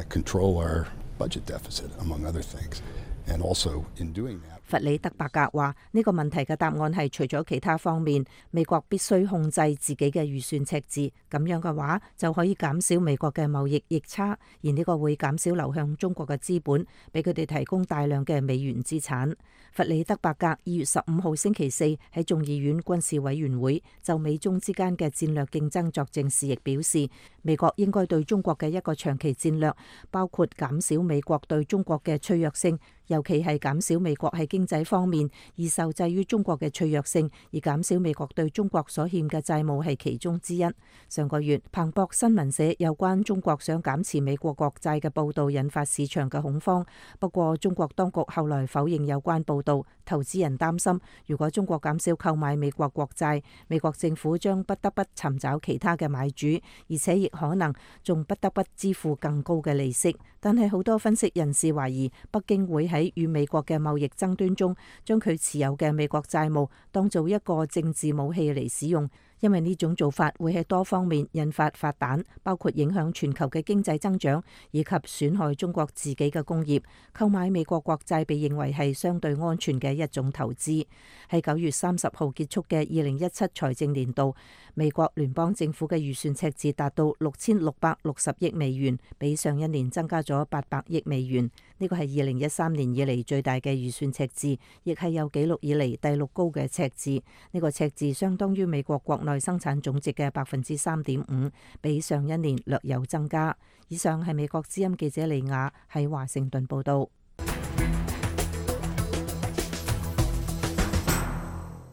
control our budget deficit, among other things, and also in doing that。弗里德伯格話：呢個問題嘅答案係除咗其他方面，美國必須控制自己嘅預算赤字，咁樣嘅話就可以減少美國嘅貿易逆差，而呢個會減少流向中國嘅資本，俾佢哋提供大量嘅美元資產。弗里德伯格2月15號星期四喺眾議院軍事委員會就美中之間嘅戰略競爭作證時，亦表示美國應該對中國嘅一個長期戰略，包括減少美國對中國嘅脆弱性，尤其係減少美國喺經濟方面而受制於中國嘅脆弱性，而減少美國對中國所欠嘅債務係其中之一。上個月，彭博新聞社有關中國想減持美國國債嘅報導引發市場嘅恐慌。不過，中國當局後來否認有關報導。投資人擔心，如果中國減少購買美國國債，美國政府將不得不尋找其他嘅買主，而且亦可能仲不得不支付更高嘅利息。但係好多分析人士懷疑，北京會喺與美國嘅貿易爭端中，將佢持有嘅美國債務當做一個政治武器嚟使用。因為呢種做法會喺多方面引發發彈，包括影響全球嘅經濟增長，以及損害中國自己嘅工業。購買美國國債被認為係相對安全嘅一種投資。喺9月30號結束嘅2017財政年度，美國聯邦政府嘅預算赤字達到6660億美元，比上一年增加咗800億美元。呢個係2013年以嚟最大嘅預算赤字，亦係有紀錄以嚟第6高嘅赤字。呢個赤字相當於美國國內生產總值嘅3.5%，比上一年略有增加。以上係美國之音記者利亞喺華盛頓報道。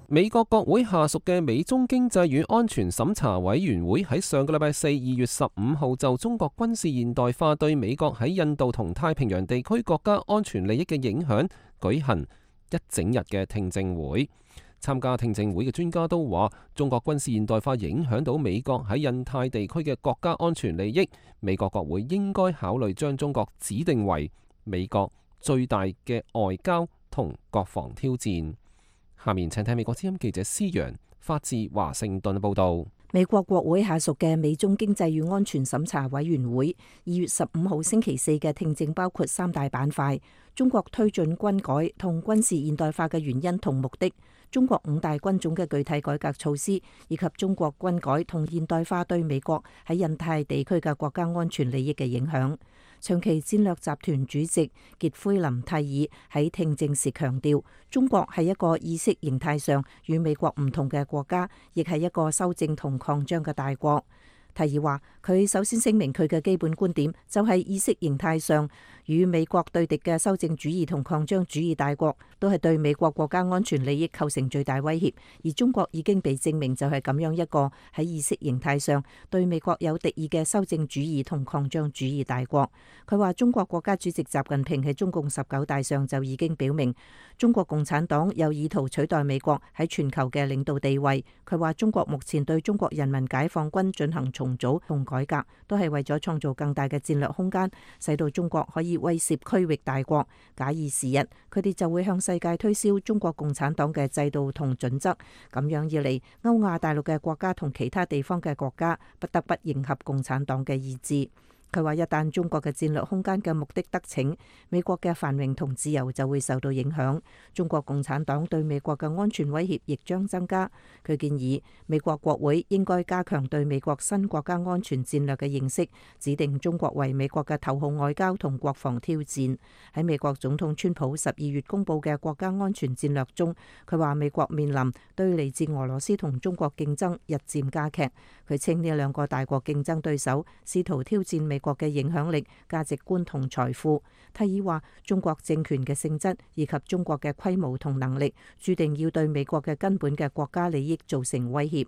美國國會下屬嘅美中經濟與安全審查委員會喺上個禮拜4 2月15號就中國軍事現代化對美國喺印度同太平洋地區國家安全利益嘅影響舉行一整日嘅聽證會。參加聽證會嘅專家都話，中國軍事現代化影響到美國喺印太地區嘅國家安全利益，美國國會應該考慮將中國指定為美國最大嘅外交同國防挑戰。下面請睇美國之音記者施陽發自華盛頓報道。美國國會下屬嘅美中經濟與安全審查委員會2月15號星期四嘅聽證包括3大板塊：中國推進軍改同軍事現代化嘅原因同目的，中國5大軍種嘅具體改革措施，以及中國軍改同現代化對美國喺印太地區嘅國家安全利益嘅影響。長期戰略集團主席傑奎琳蒂爾喺聽證時強調，中國係一個意識形態上與美國唔同嘅國家，亦係一個修正同擴張嘅大國。提爾話：佢首先聲明佢嘅基本觀點就係意識形態上與美國對敵嘅修正主義同擴張主義大國都係對美國國家安全利益構成最大威脅，而中國已經被證明就係咁樣一個喺意識形態上對美國有敵意嘅修正主義同擴張主義大國。佢話中國國家主席習近平喺中共19大上就已經表明，中國共產黨有意圖取代美國喺全球嘅領導地位。佢話中國目前對中國人民解放軍進行重組同改革，都係為咗創造更大嘅戰略空間，使到中國可以威懾區域大國。假以時日，佢哋就會向世界推銷中國共產黨嘅制度同準則。咁樣一嚟，歐亞大陸嘅國家同其他地方嘅國家不得不迎合共產黨嘅意志。佢話：一旦中國嘅戰略空間嘅目的得逞，美國嘅繁榮同自由就會受到影響。中國共產黨對美國嘅安全威脅亦將增加。佢建議美國國會應該加強對美國新國家安全戰略嘅認識，指定中國為美國嘅頭號外交同國防挑戰。喺美國總統川普12月公佈嘅國家安全戰略中，佢話美國面臨對嚟自俄羅斯同中國競爭日漸加劇。佢稱呢兩個大國競爭對手試圖挑戰美國嘅影響力、價值觀同財富。提爾話：中國政權嘅性質以及中國嘅規模同能力，注定要對美國嘅根本嘅國家利益造成威脅。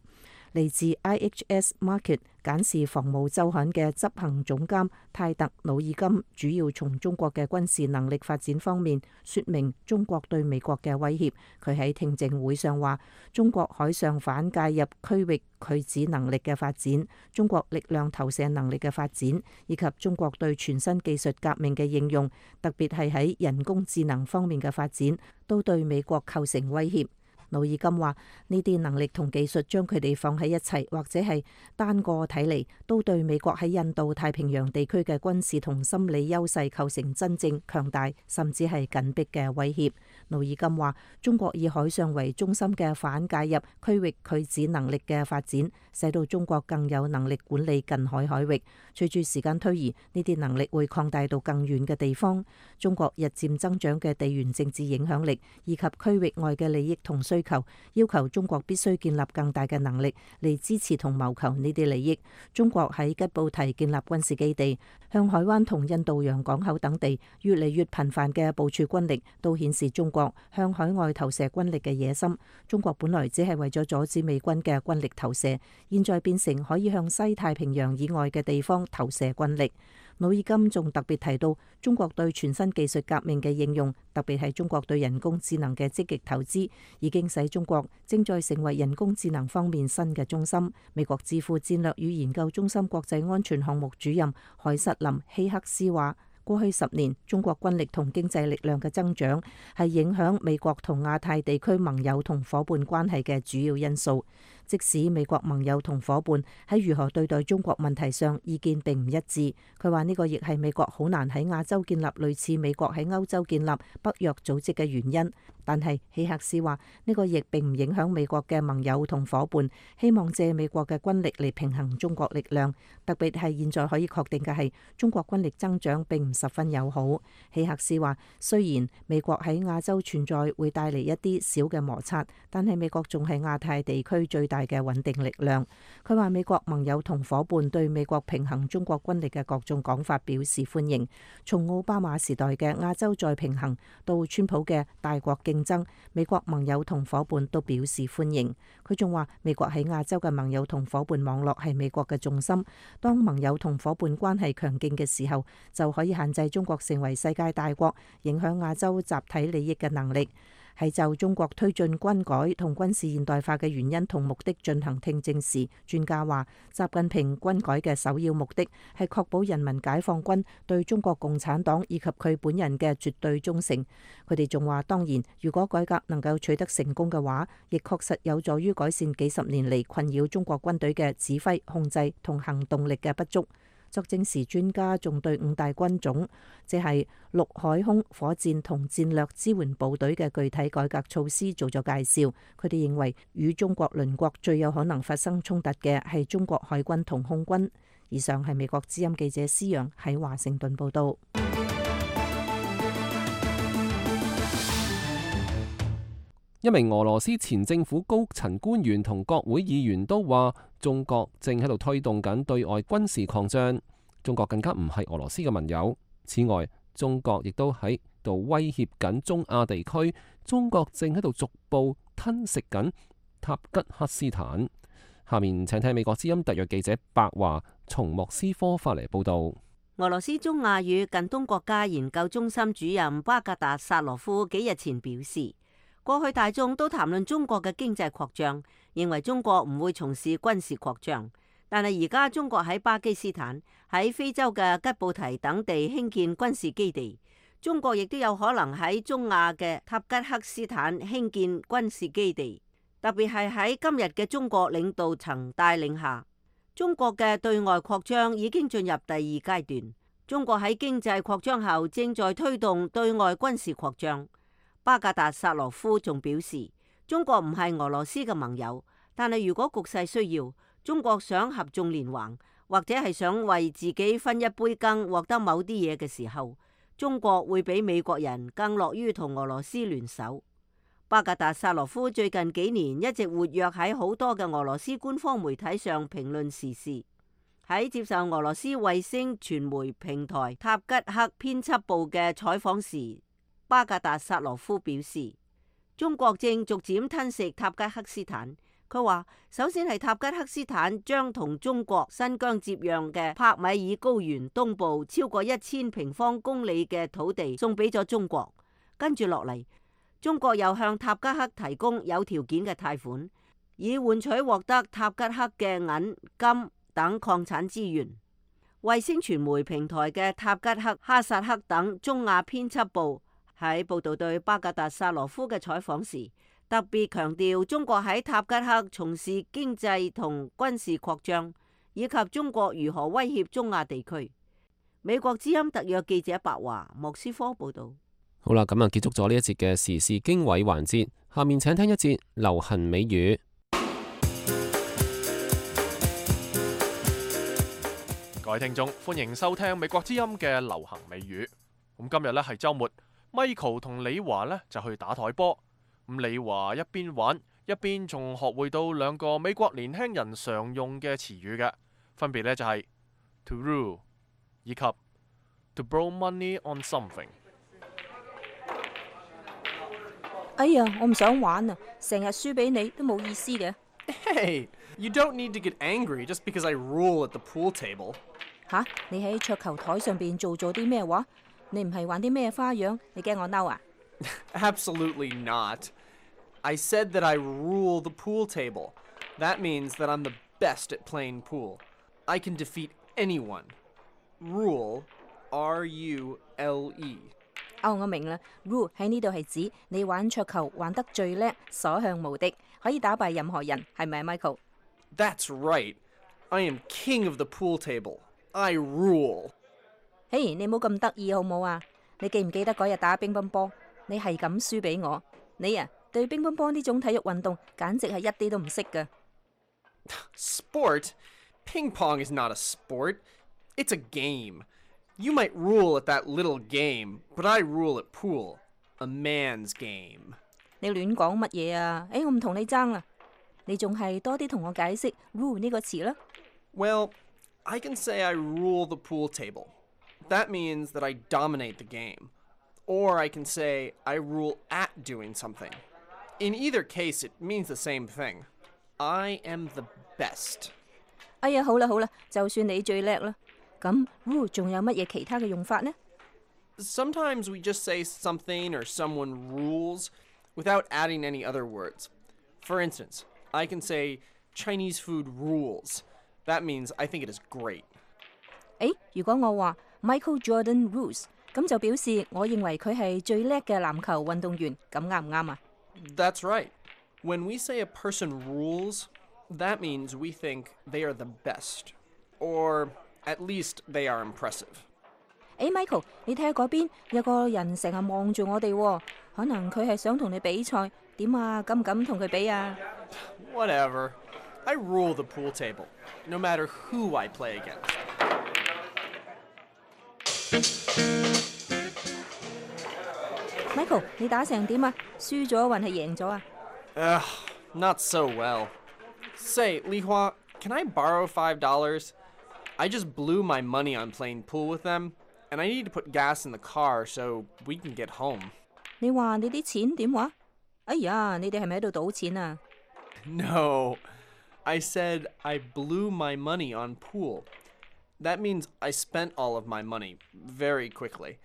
嚟自 IHS Markit 簡視防務週刊嘅執行總監泰特努爾金，主要從中國嘅軍事能力發展方面說明中國對美國嘅威脅。佢喺聽證會上話：中國海上反介入區域拒止能力嘅發展，中國力量投射能力嘅發展，以及中國對全新技術革命嘅應用，特別係喺人工智能方面嘅發展，都對美國構成威脅。努爾金話：呢啲能力同技術將佢哋放喺一齊，或者係單個睇嚟，都對美國喺印度太平洋地區嘅軍事同心理優勢構成真正強大甚至係緊迫嘅威脅。努爾金話：中國以海上為中心嘅反介入區域拒止能力嘅發展，使到中國更有能力管理近海海域。隨住時間推移，呢啲能力會擴大到更遠嘅地方。中國日漸增長嘅地緣政治影響力以及區域外嘅利益同需需求，要求中國必須建立更大嘅能力嚟支持同謀求呢啲利益。中國喺吉布提建立軍事基地，向海灣同印度洋港口等地越嚟越頻繁嘅部署軍力，都顯示中國向海外投射軍力嘅野心。中國本來只係為咗阻止美軍嘅軍力投射，現在變成可以向西太平洋以外嘅地方投射軍力。努爾金仲特別提到中國對全新技術革命嘅應用，特別係中國對人工智能嘅積極投資，已經使中國正在成為人工智能方面新嘅中心。美國智庫戰略與研究中心國際安全項目主任海瑟琳希克斯話，過去10年，中國軍力同經濟力量嘅增長係影響美國同亞太地區盟友同伙伴關係嘅主要因素。即使美國盟友同伙伴喺如何對待中國問題上意見並唔一致，佢話呢個亦係美國好難喺亞洲建立類似美國喺歐洲建立北約組織嘅原因。但係希克斯話呢個亦並唔影響美國嘅盟友同伙伴希望借美國嘅軍力嚟平衡中國力量，特別係現在可以確定嘅係中國軍力增長並唔十分友好。希克斯話雖然美國喺亞洲存在會帶嚟一啲小嘅摩擦，但係美國仲係亞太地區最大嘅穩定力量。佢話美國盟友同伙伴對美國平衡中國軍力嘅各種講法表示歡迎，從奧巴馬時代嘅亞洲再平衡到川普嘅大國競爭，美國盟友同伙伴都表示歡迎。佢仲話美國喺亞洲嘅盟友同伙伴網絡係美國嘅重心，當盟友同伙伴關係強勁嘅時候，就可以限制中國成為世界大國，影響亞洲集體利益嘅能力。係就中國推進軍改同軍事現代化嘅原因同目的進行聽證時，專家話習近平軍改嘅首要目的係確保人民解放軍對中國共產黨以及佢本人嘅絕對忠誠。佢哋仲話，當然如果改革能夠取得成功嘅話，亦確實有助於改善幾十年嚟困擾中國軍隊嘅指揮、控制同行動力嘅不足。作證時，專家仲對5大軍種，即係陸海空火箭同戰略支援部隊嘅具體改革措施做咗介紹。佢哋認為與中國鄰國最有可能發生衝突嘅係中國海軍同空軍。以上係美國之音記者施陽喺華盛頓報道。一名俄羅斯前政府高層官員同國會議員都話，中國正喺度推動緊對外軍事擴張，中國更加唔係俄羅斯嘅盟友。此外，中國亦都喺度威脅緊中亞地區，中國正喺度逐步吞噬緊塔吉克斯坦。下面請聽美國之音特約記者白華從莫斯科發嚟報道。俄羅斯中亞與近東國家研究中心主任巴格達薩羅夫幾日前表示，過去大眾都談論中國嘅經濟擴張，認為中國唔會從事軍事擴張。但係而家中國喺巴基斯坦、喺非洲嘅吉布提等地興建軍事基地，中國亦都有可能喺中亞嘅塔吉克斯坦興建軍事基地。特別係喺今日嘅中國領導層帶領下，中國嘅對外擴張已經進入第2階段。中國喺經濟擴張後，正在推動對外軍事擴張。巴格達薩羅夫仲表示，中國唔係俄羅斯嘅盟友，但係如果局勢需要，中國想合縱連橫，或者係想為自己分一杯羹，獲得某啲嘢嘅時候，中國會比美國人更樂於同俄羅斯聯手。巴格達薩羅夫最近幾年一直活躍喺好多嘅俄羅斯官方媒體上評論時事。喺接受俄羅斯衛星傳媒平台塔吉克編輯部嘅採訪時，巴格達薩羅夫表示，中國正逐漸吞噬塔吉克斯坦。佢話，首先係塔吉克斯坦將同中國新疆接壤嘅帕米爾高原東部超過1000平方公里嘅土地送俾咗中國，跟住落嚟，中國又向塔吉克提供有條件嘅貸款，以換取獲得塔吉克嘅銀、金等礦產資源。衛星傳媒平台嘅塔吉克、哈薩克等中亞編輯部喺報道對巴格達薩羅夫嘅採訪時，特別強調中國喺塔吉克從事經濟同軍事擴張，以及中國如何威脅中亞地區。美國之音特約記者白華莫斯科報道。好啦，咁啊結束咗呢一節嘅時事經緯環節，下面請聽一節流行美語。各位聽眾，歡迎收聽美國之音嘅流行美語。咁今日呢係週末，Michael 同李華呢就去打台波。咁李華一邊玩一邊仲學會到兩個美國年輕人常用嘅詞語嘅，分別呢就係 to rule 以及 to borrow money on something。哎呀，我唔想玩啊，成日輸俾你都冇意思嘅。Hey, you don't need to get angry just because I rule at the pool table. 吓，你喺桌球台上邊做咗啲咩話？你唔係玩啲咩花樣？你驚我嬲啊？ Absolutely not. I said that I rule the pool table. That means that I'm the best at playing pool. I can defeat anyone. Rule, R-U-L-E. 哦，我明啦。Rule 喺呢度係指你玩桌球玩得最叻，所向無敵，可以打敗任何人，係咪 Michael？ That's right. I am king of the pool table. I rule. 嘿，你冇咁得意好冇啊？你記唔記得嗰日打乒乓波，你係咁輸俾我？你啊，對乒乓波呢種體育運動簡直係一啲都唔識㗎。Sport? Ping pong is not a sport. It's a game. You might rule at that little game, but I rule at pool. A man's game. 你亂講乜嘢啊？我唔同你爭啦。你仲係多啲同我解釋 rule 呢個詞啦。Well, I can say I rule the pool table. That means that I dominate the game. Or I can say I rule at doing something. In either case, it means the same thing. I am the best. 哎呀，好啦好啦，就算你最叻啦。咁 rule 仲有乜嘢其他嘅用法呢？ Sometimes we just say something or someone rules without adding any other words. For instance, I can say Chinese food rules. That means I think it is great. 如果我話 Michael Jordan rules， 咁就表示我認為佢係最叻嘅籃球運動員，咁啱唔啱啊？ That's right. When we say a person rules, that means we think they are the best. Or at least they are impressive. Michael， 你睇下嗰邊有個人成日望住我哋喎，可能佢係想同你比賽，點啊？敢唔敢同佢比啊？ Whatever. I rule the pool table, no matter who I play against. Michael， 你打成點啊？輸咗還係贏咗啊？ Not so well. Say, Li Hua, can I borrow $5? I just blew my money on playing pool with them, and I need to put gas in the car so we can get home. 你話你啲錢點話？哎呀，你哋係咪喺度賭錢啊？ No, I said I blew my money on pool. That means I spent all of my money very quickly.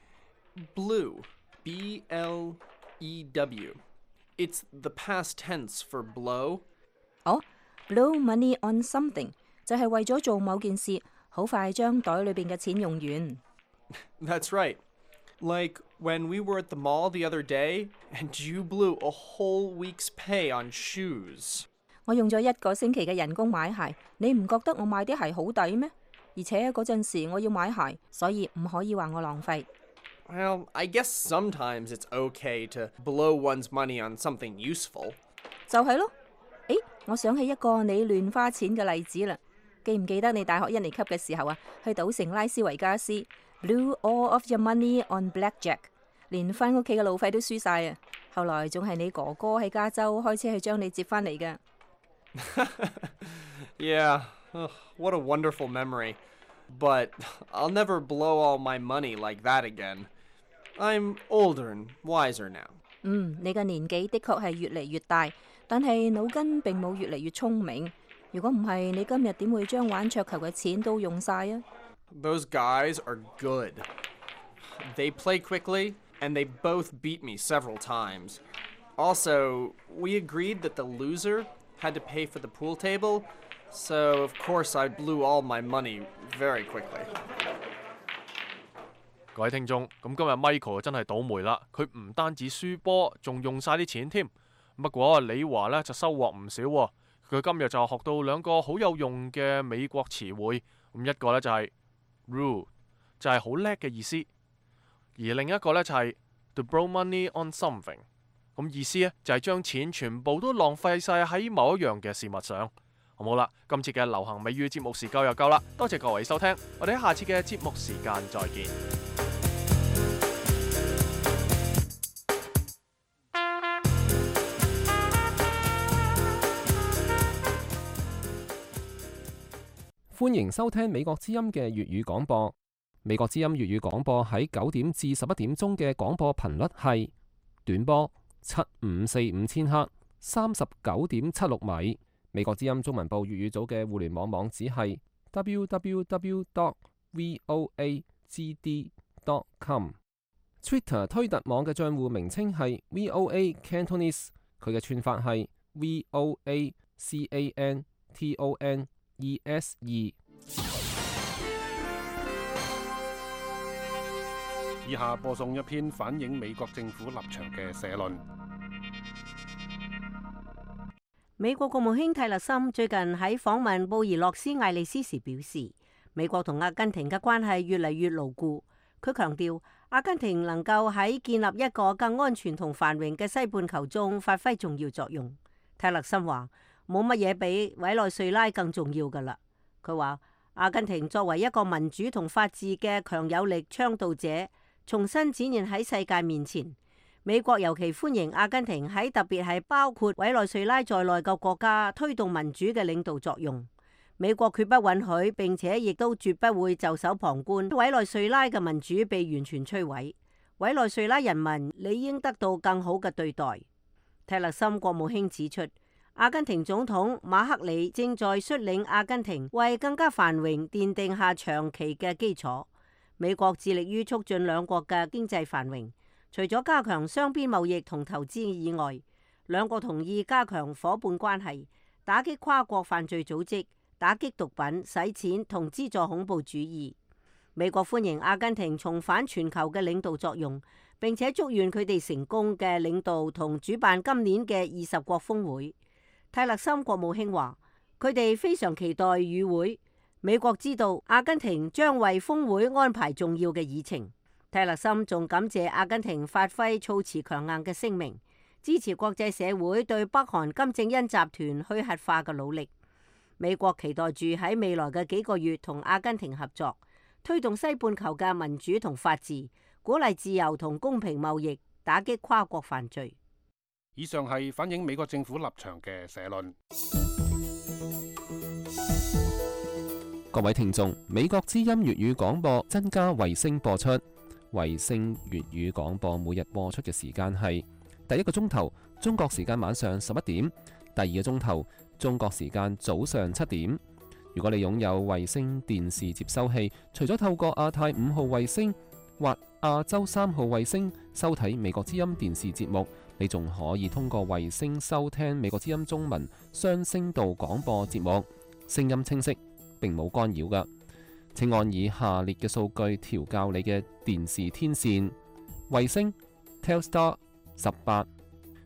Blew, B-L-E-W. It's the past tense for blow. Blow money on something 就係為咗做某件事，好快將袋裏邊嘅錢用完。 That's right. Like when we were at the mall the other day and you blew a whole week's pay on shoes. 我用咗1個星期嘅人工買鞋，你唔覺得我買啲鞋好抵咩？而且嗰陣時我要買鞋，所以唔可以話我浪費。 Well, I guess sometimes it's okay to blow one's money on something useful. 就係咯。我想起一個你亂花錢嘅例子啦。記唔記得你大學1年級嘅時候啊，去賭城拉斯維加斯 ，blew all of your money on blackjack， 連返屋企嘅路費都輸晒啊！後來仲係你哥哥喺加州開車去將你接返嚟嘅。Yeah, what a wonderful memory. But I'll never blow all my money like that again. I'm older and wiser now. 你嘅年紀的確係越嚟越大，但係腦筋並冇越嚟越聰明。如果唔係，你今日點會將玩桌球嘅錢都用晒啊？ Those guys are good. They play quickly, and they both beat me several times. Also, we agreed that the loser had to pay for the pool table, so of course I blew all my money very quickly. 各位聽眾，咁今日 Michael 真係倒霉啦，佢唔單止輸波，仲用晒啲錢添。不過李華呢就收穫唔少喎，佢今日就學到2個好有用嘅美國詞彙，咁一個呢就係 rule， 就係好叻嘅意思，而另一個呢就係 to borrow money on something， 咁意思呢就係將錢全部都浪費晒喺某一樣嘅事物上。好啦，今次嘅流行美語節目時間又夠啦，多謝各位收聽，我哋喺下次嘅節目時間再見。歡迎收聽美國之音嘅粵語廣播。美國之音粵語廣播喺9點至11點鐘嘅廣播頻率係短波7545千赫39.76米。美國之音中文部粵語組嘅互聯網網址係 www.voagd.com。Twitter 推特網嘅帳戶名稱係 VOA Cantonese， 佢嘅串法係 VOACANTONESE。以下播送一篇反映美國政府立場嘅社論。美國國務卿泰勒森最近喺訪問布宜諾斯艾利斯時表示，美國同阿根廷嘅關係越嚟越牢固。佢強調，阿根廷能夠喺建立一個更安全同繁榮嘅西半球中發揮重要作用。泰勒森話：冇乜嘢比委內瑞拉更重要㗎喇。佢話，阿根廷作為一個民主同法治嘅強有力倡導者，重新展現喺世界面前。美國尤其歡迎阿根廷喺特別係包括委內瑞拉在內嘅國家推動民主嘅領導作用。美國決不允許，並且亦都絕不會袖手旁觀委內瑞拉嘅民主被完全摧毀。委內瑞拉人民理應得到更好嘅對待。泰勒森國務卿指出，阿根廷總統馬克里正在率領阿根廷為更加繁榮奠定下長期嘅基礎。美國致力於促進兩國嘅經濟繁榮。除咗加強雙邊貿易同投資以外，兩國同意加強夥伴關係，打擊跨國犯罪組織，打擊毒品、洗錢同資助恐怖主義。美國歡迎阿根廷重返全球嘅領導作用，並且祝願佢哋成功嘅領導同主辦今年嘅20國峰會。泰勒森國務卿話：佢哋非常期待與會。美國知道阿根廷將為峰會安排重要嘅議程。泰勒森仲感謝阿根廷發揮措辭強硬嘅聲明，支持國際社會對北韓金正恩集團去核化嘅努力。美國期待住喺未來嘅幾個月同阿根廷合作，推動西半球嘅民主同法治，鼓勵自由同公平貿易，打擊跨國犯罪。以上係反映美國政府立場嘅社論。各位聽眾，美國之音粵語廣播增加衛星播出。衛星粵語廣播每日播出嘅時間係第一個鐘頭中國時間晚上11點，第二個鐘頭中國時間早上7點。如果你擁有衛星電視接收器，除咗透過亞太5號衛星或亞洲3號衛星收睇美國之音電視節目，你仲可以通過衛星收聽美國之音中文雙聲道廣播節目，聲音清晰，並冇干擾㗎。請按以下列嘅數據調校你嘅電視天線：衛星 Telstar 18，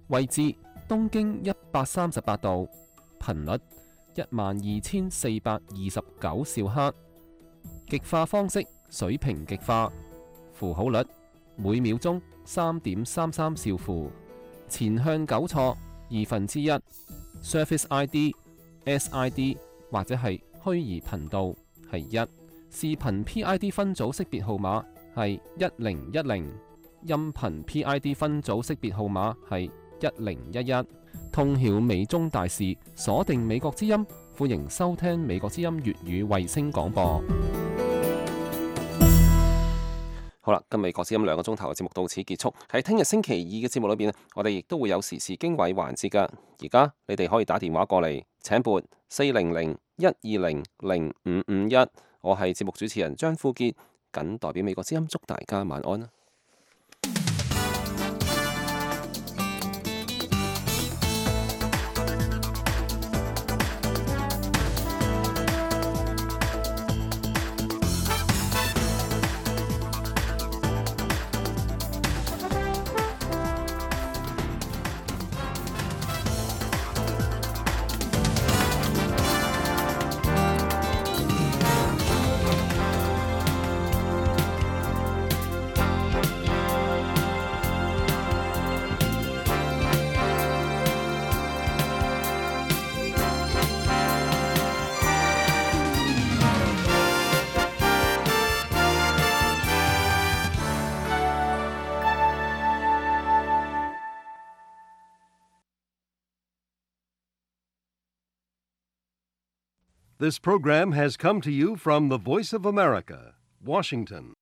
位置東經138度，頻率12429兆赫，極化方式水平極化，符號率每秒鐘3.33兆符，前向糾錯1/2， Surface ID、SID 或者係虛擬頻道係1。視頻 PID 分組識別號碼係1010，音頻 PID 分組識別號碼係1011。通曉美中大事，鎖定美國之音，歡迎收聽美國之音粵語衛星廣播。好啦，今日美國之音2個鐘頭嘅節目到此結束。喺聽日星期二嘅節目裏邊，我哋亦都會有時事經緯環節噶。而家你哋可以打電話過嚟，請撥400-120-0551。我係節目主持人張富傑，謹代表美國之音祝大家晚安啦。This program has come to you from the Voice of America, Washington.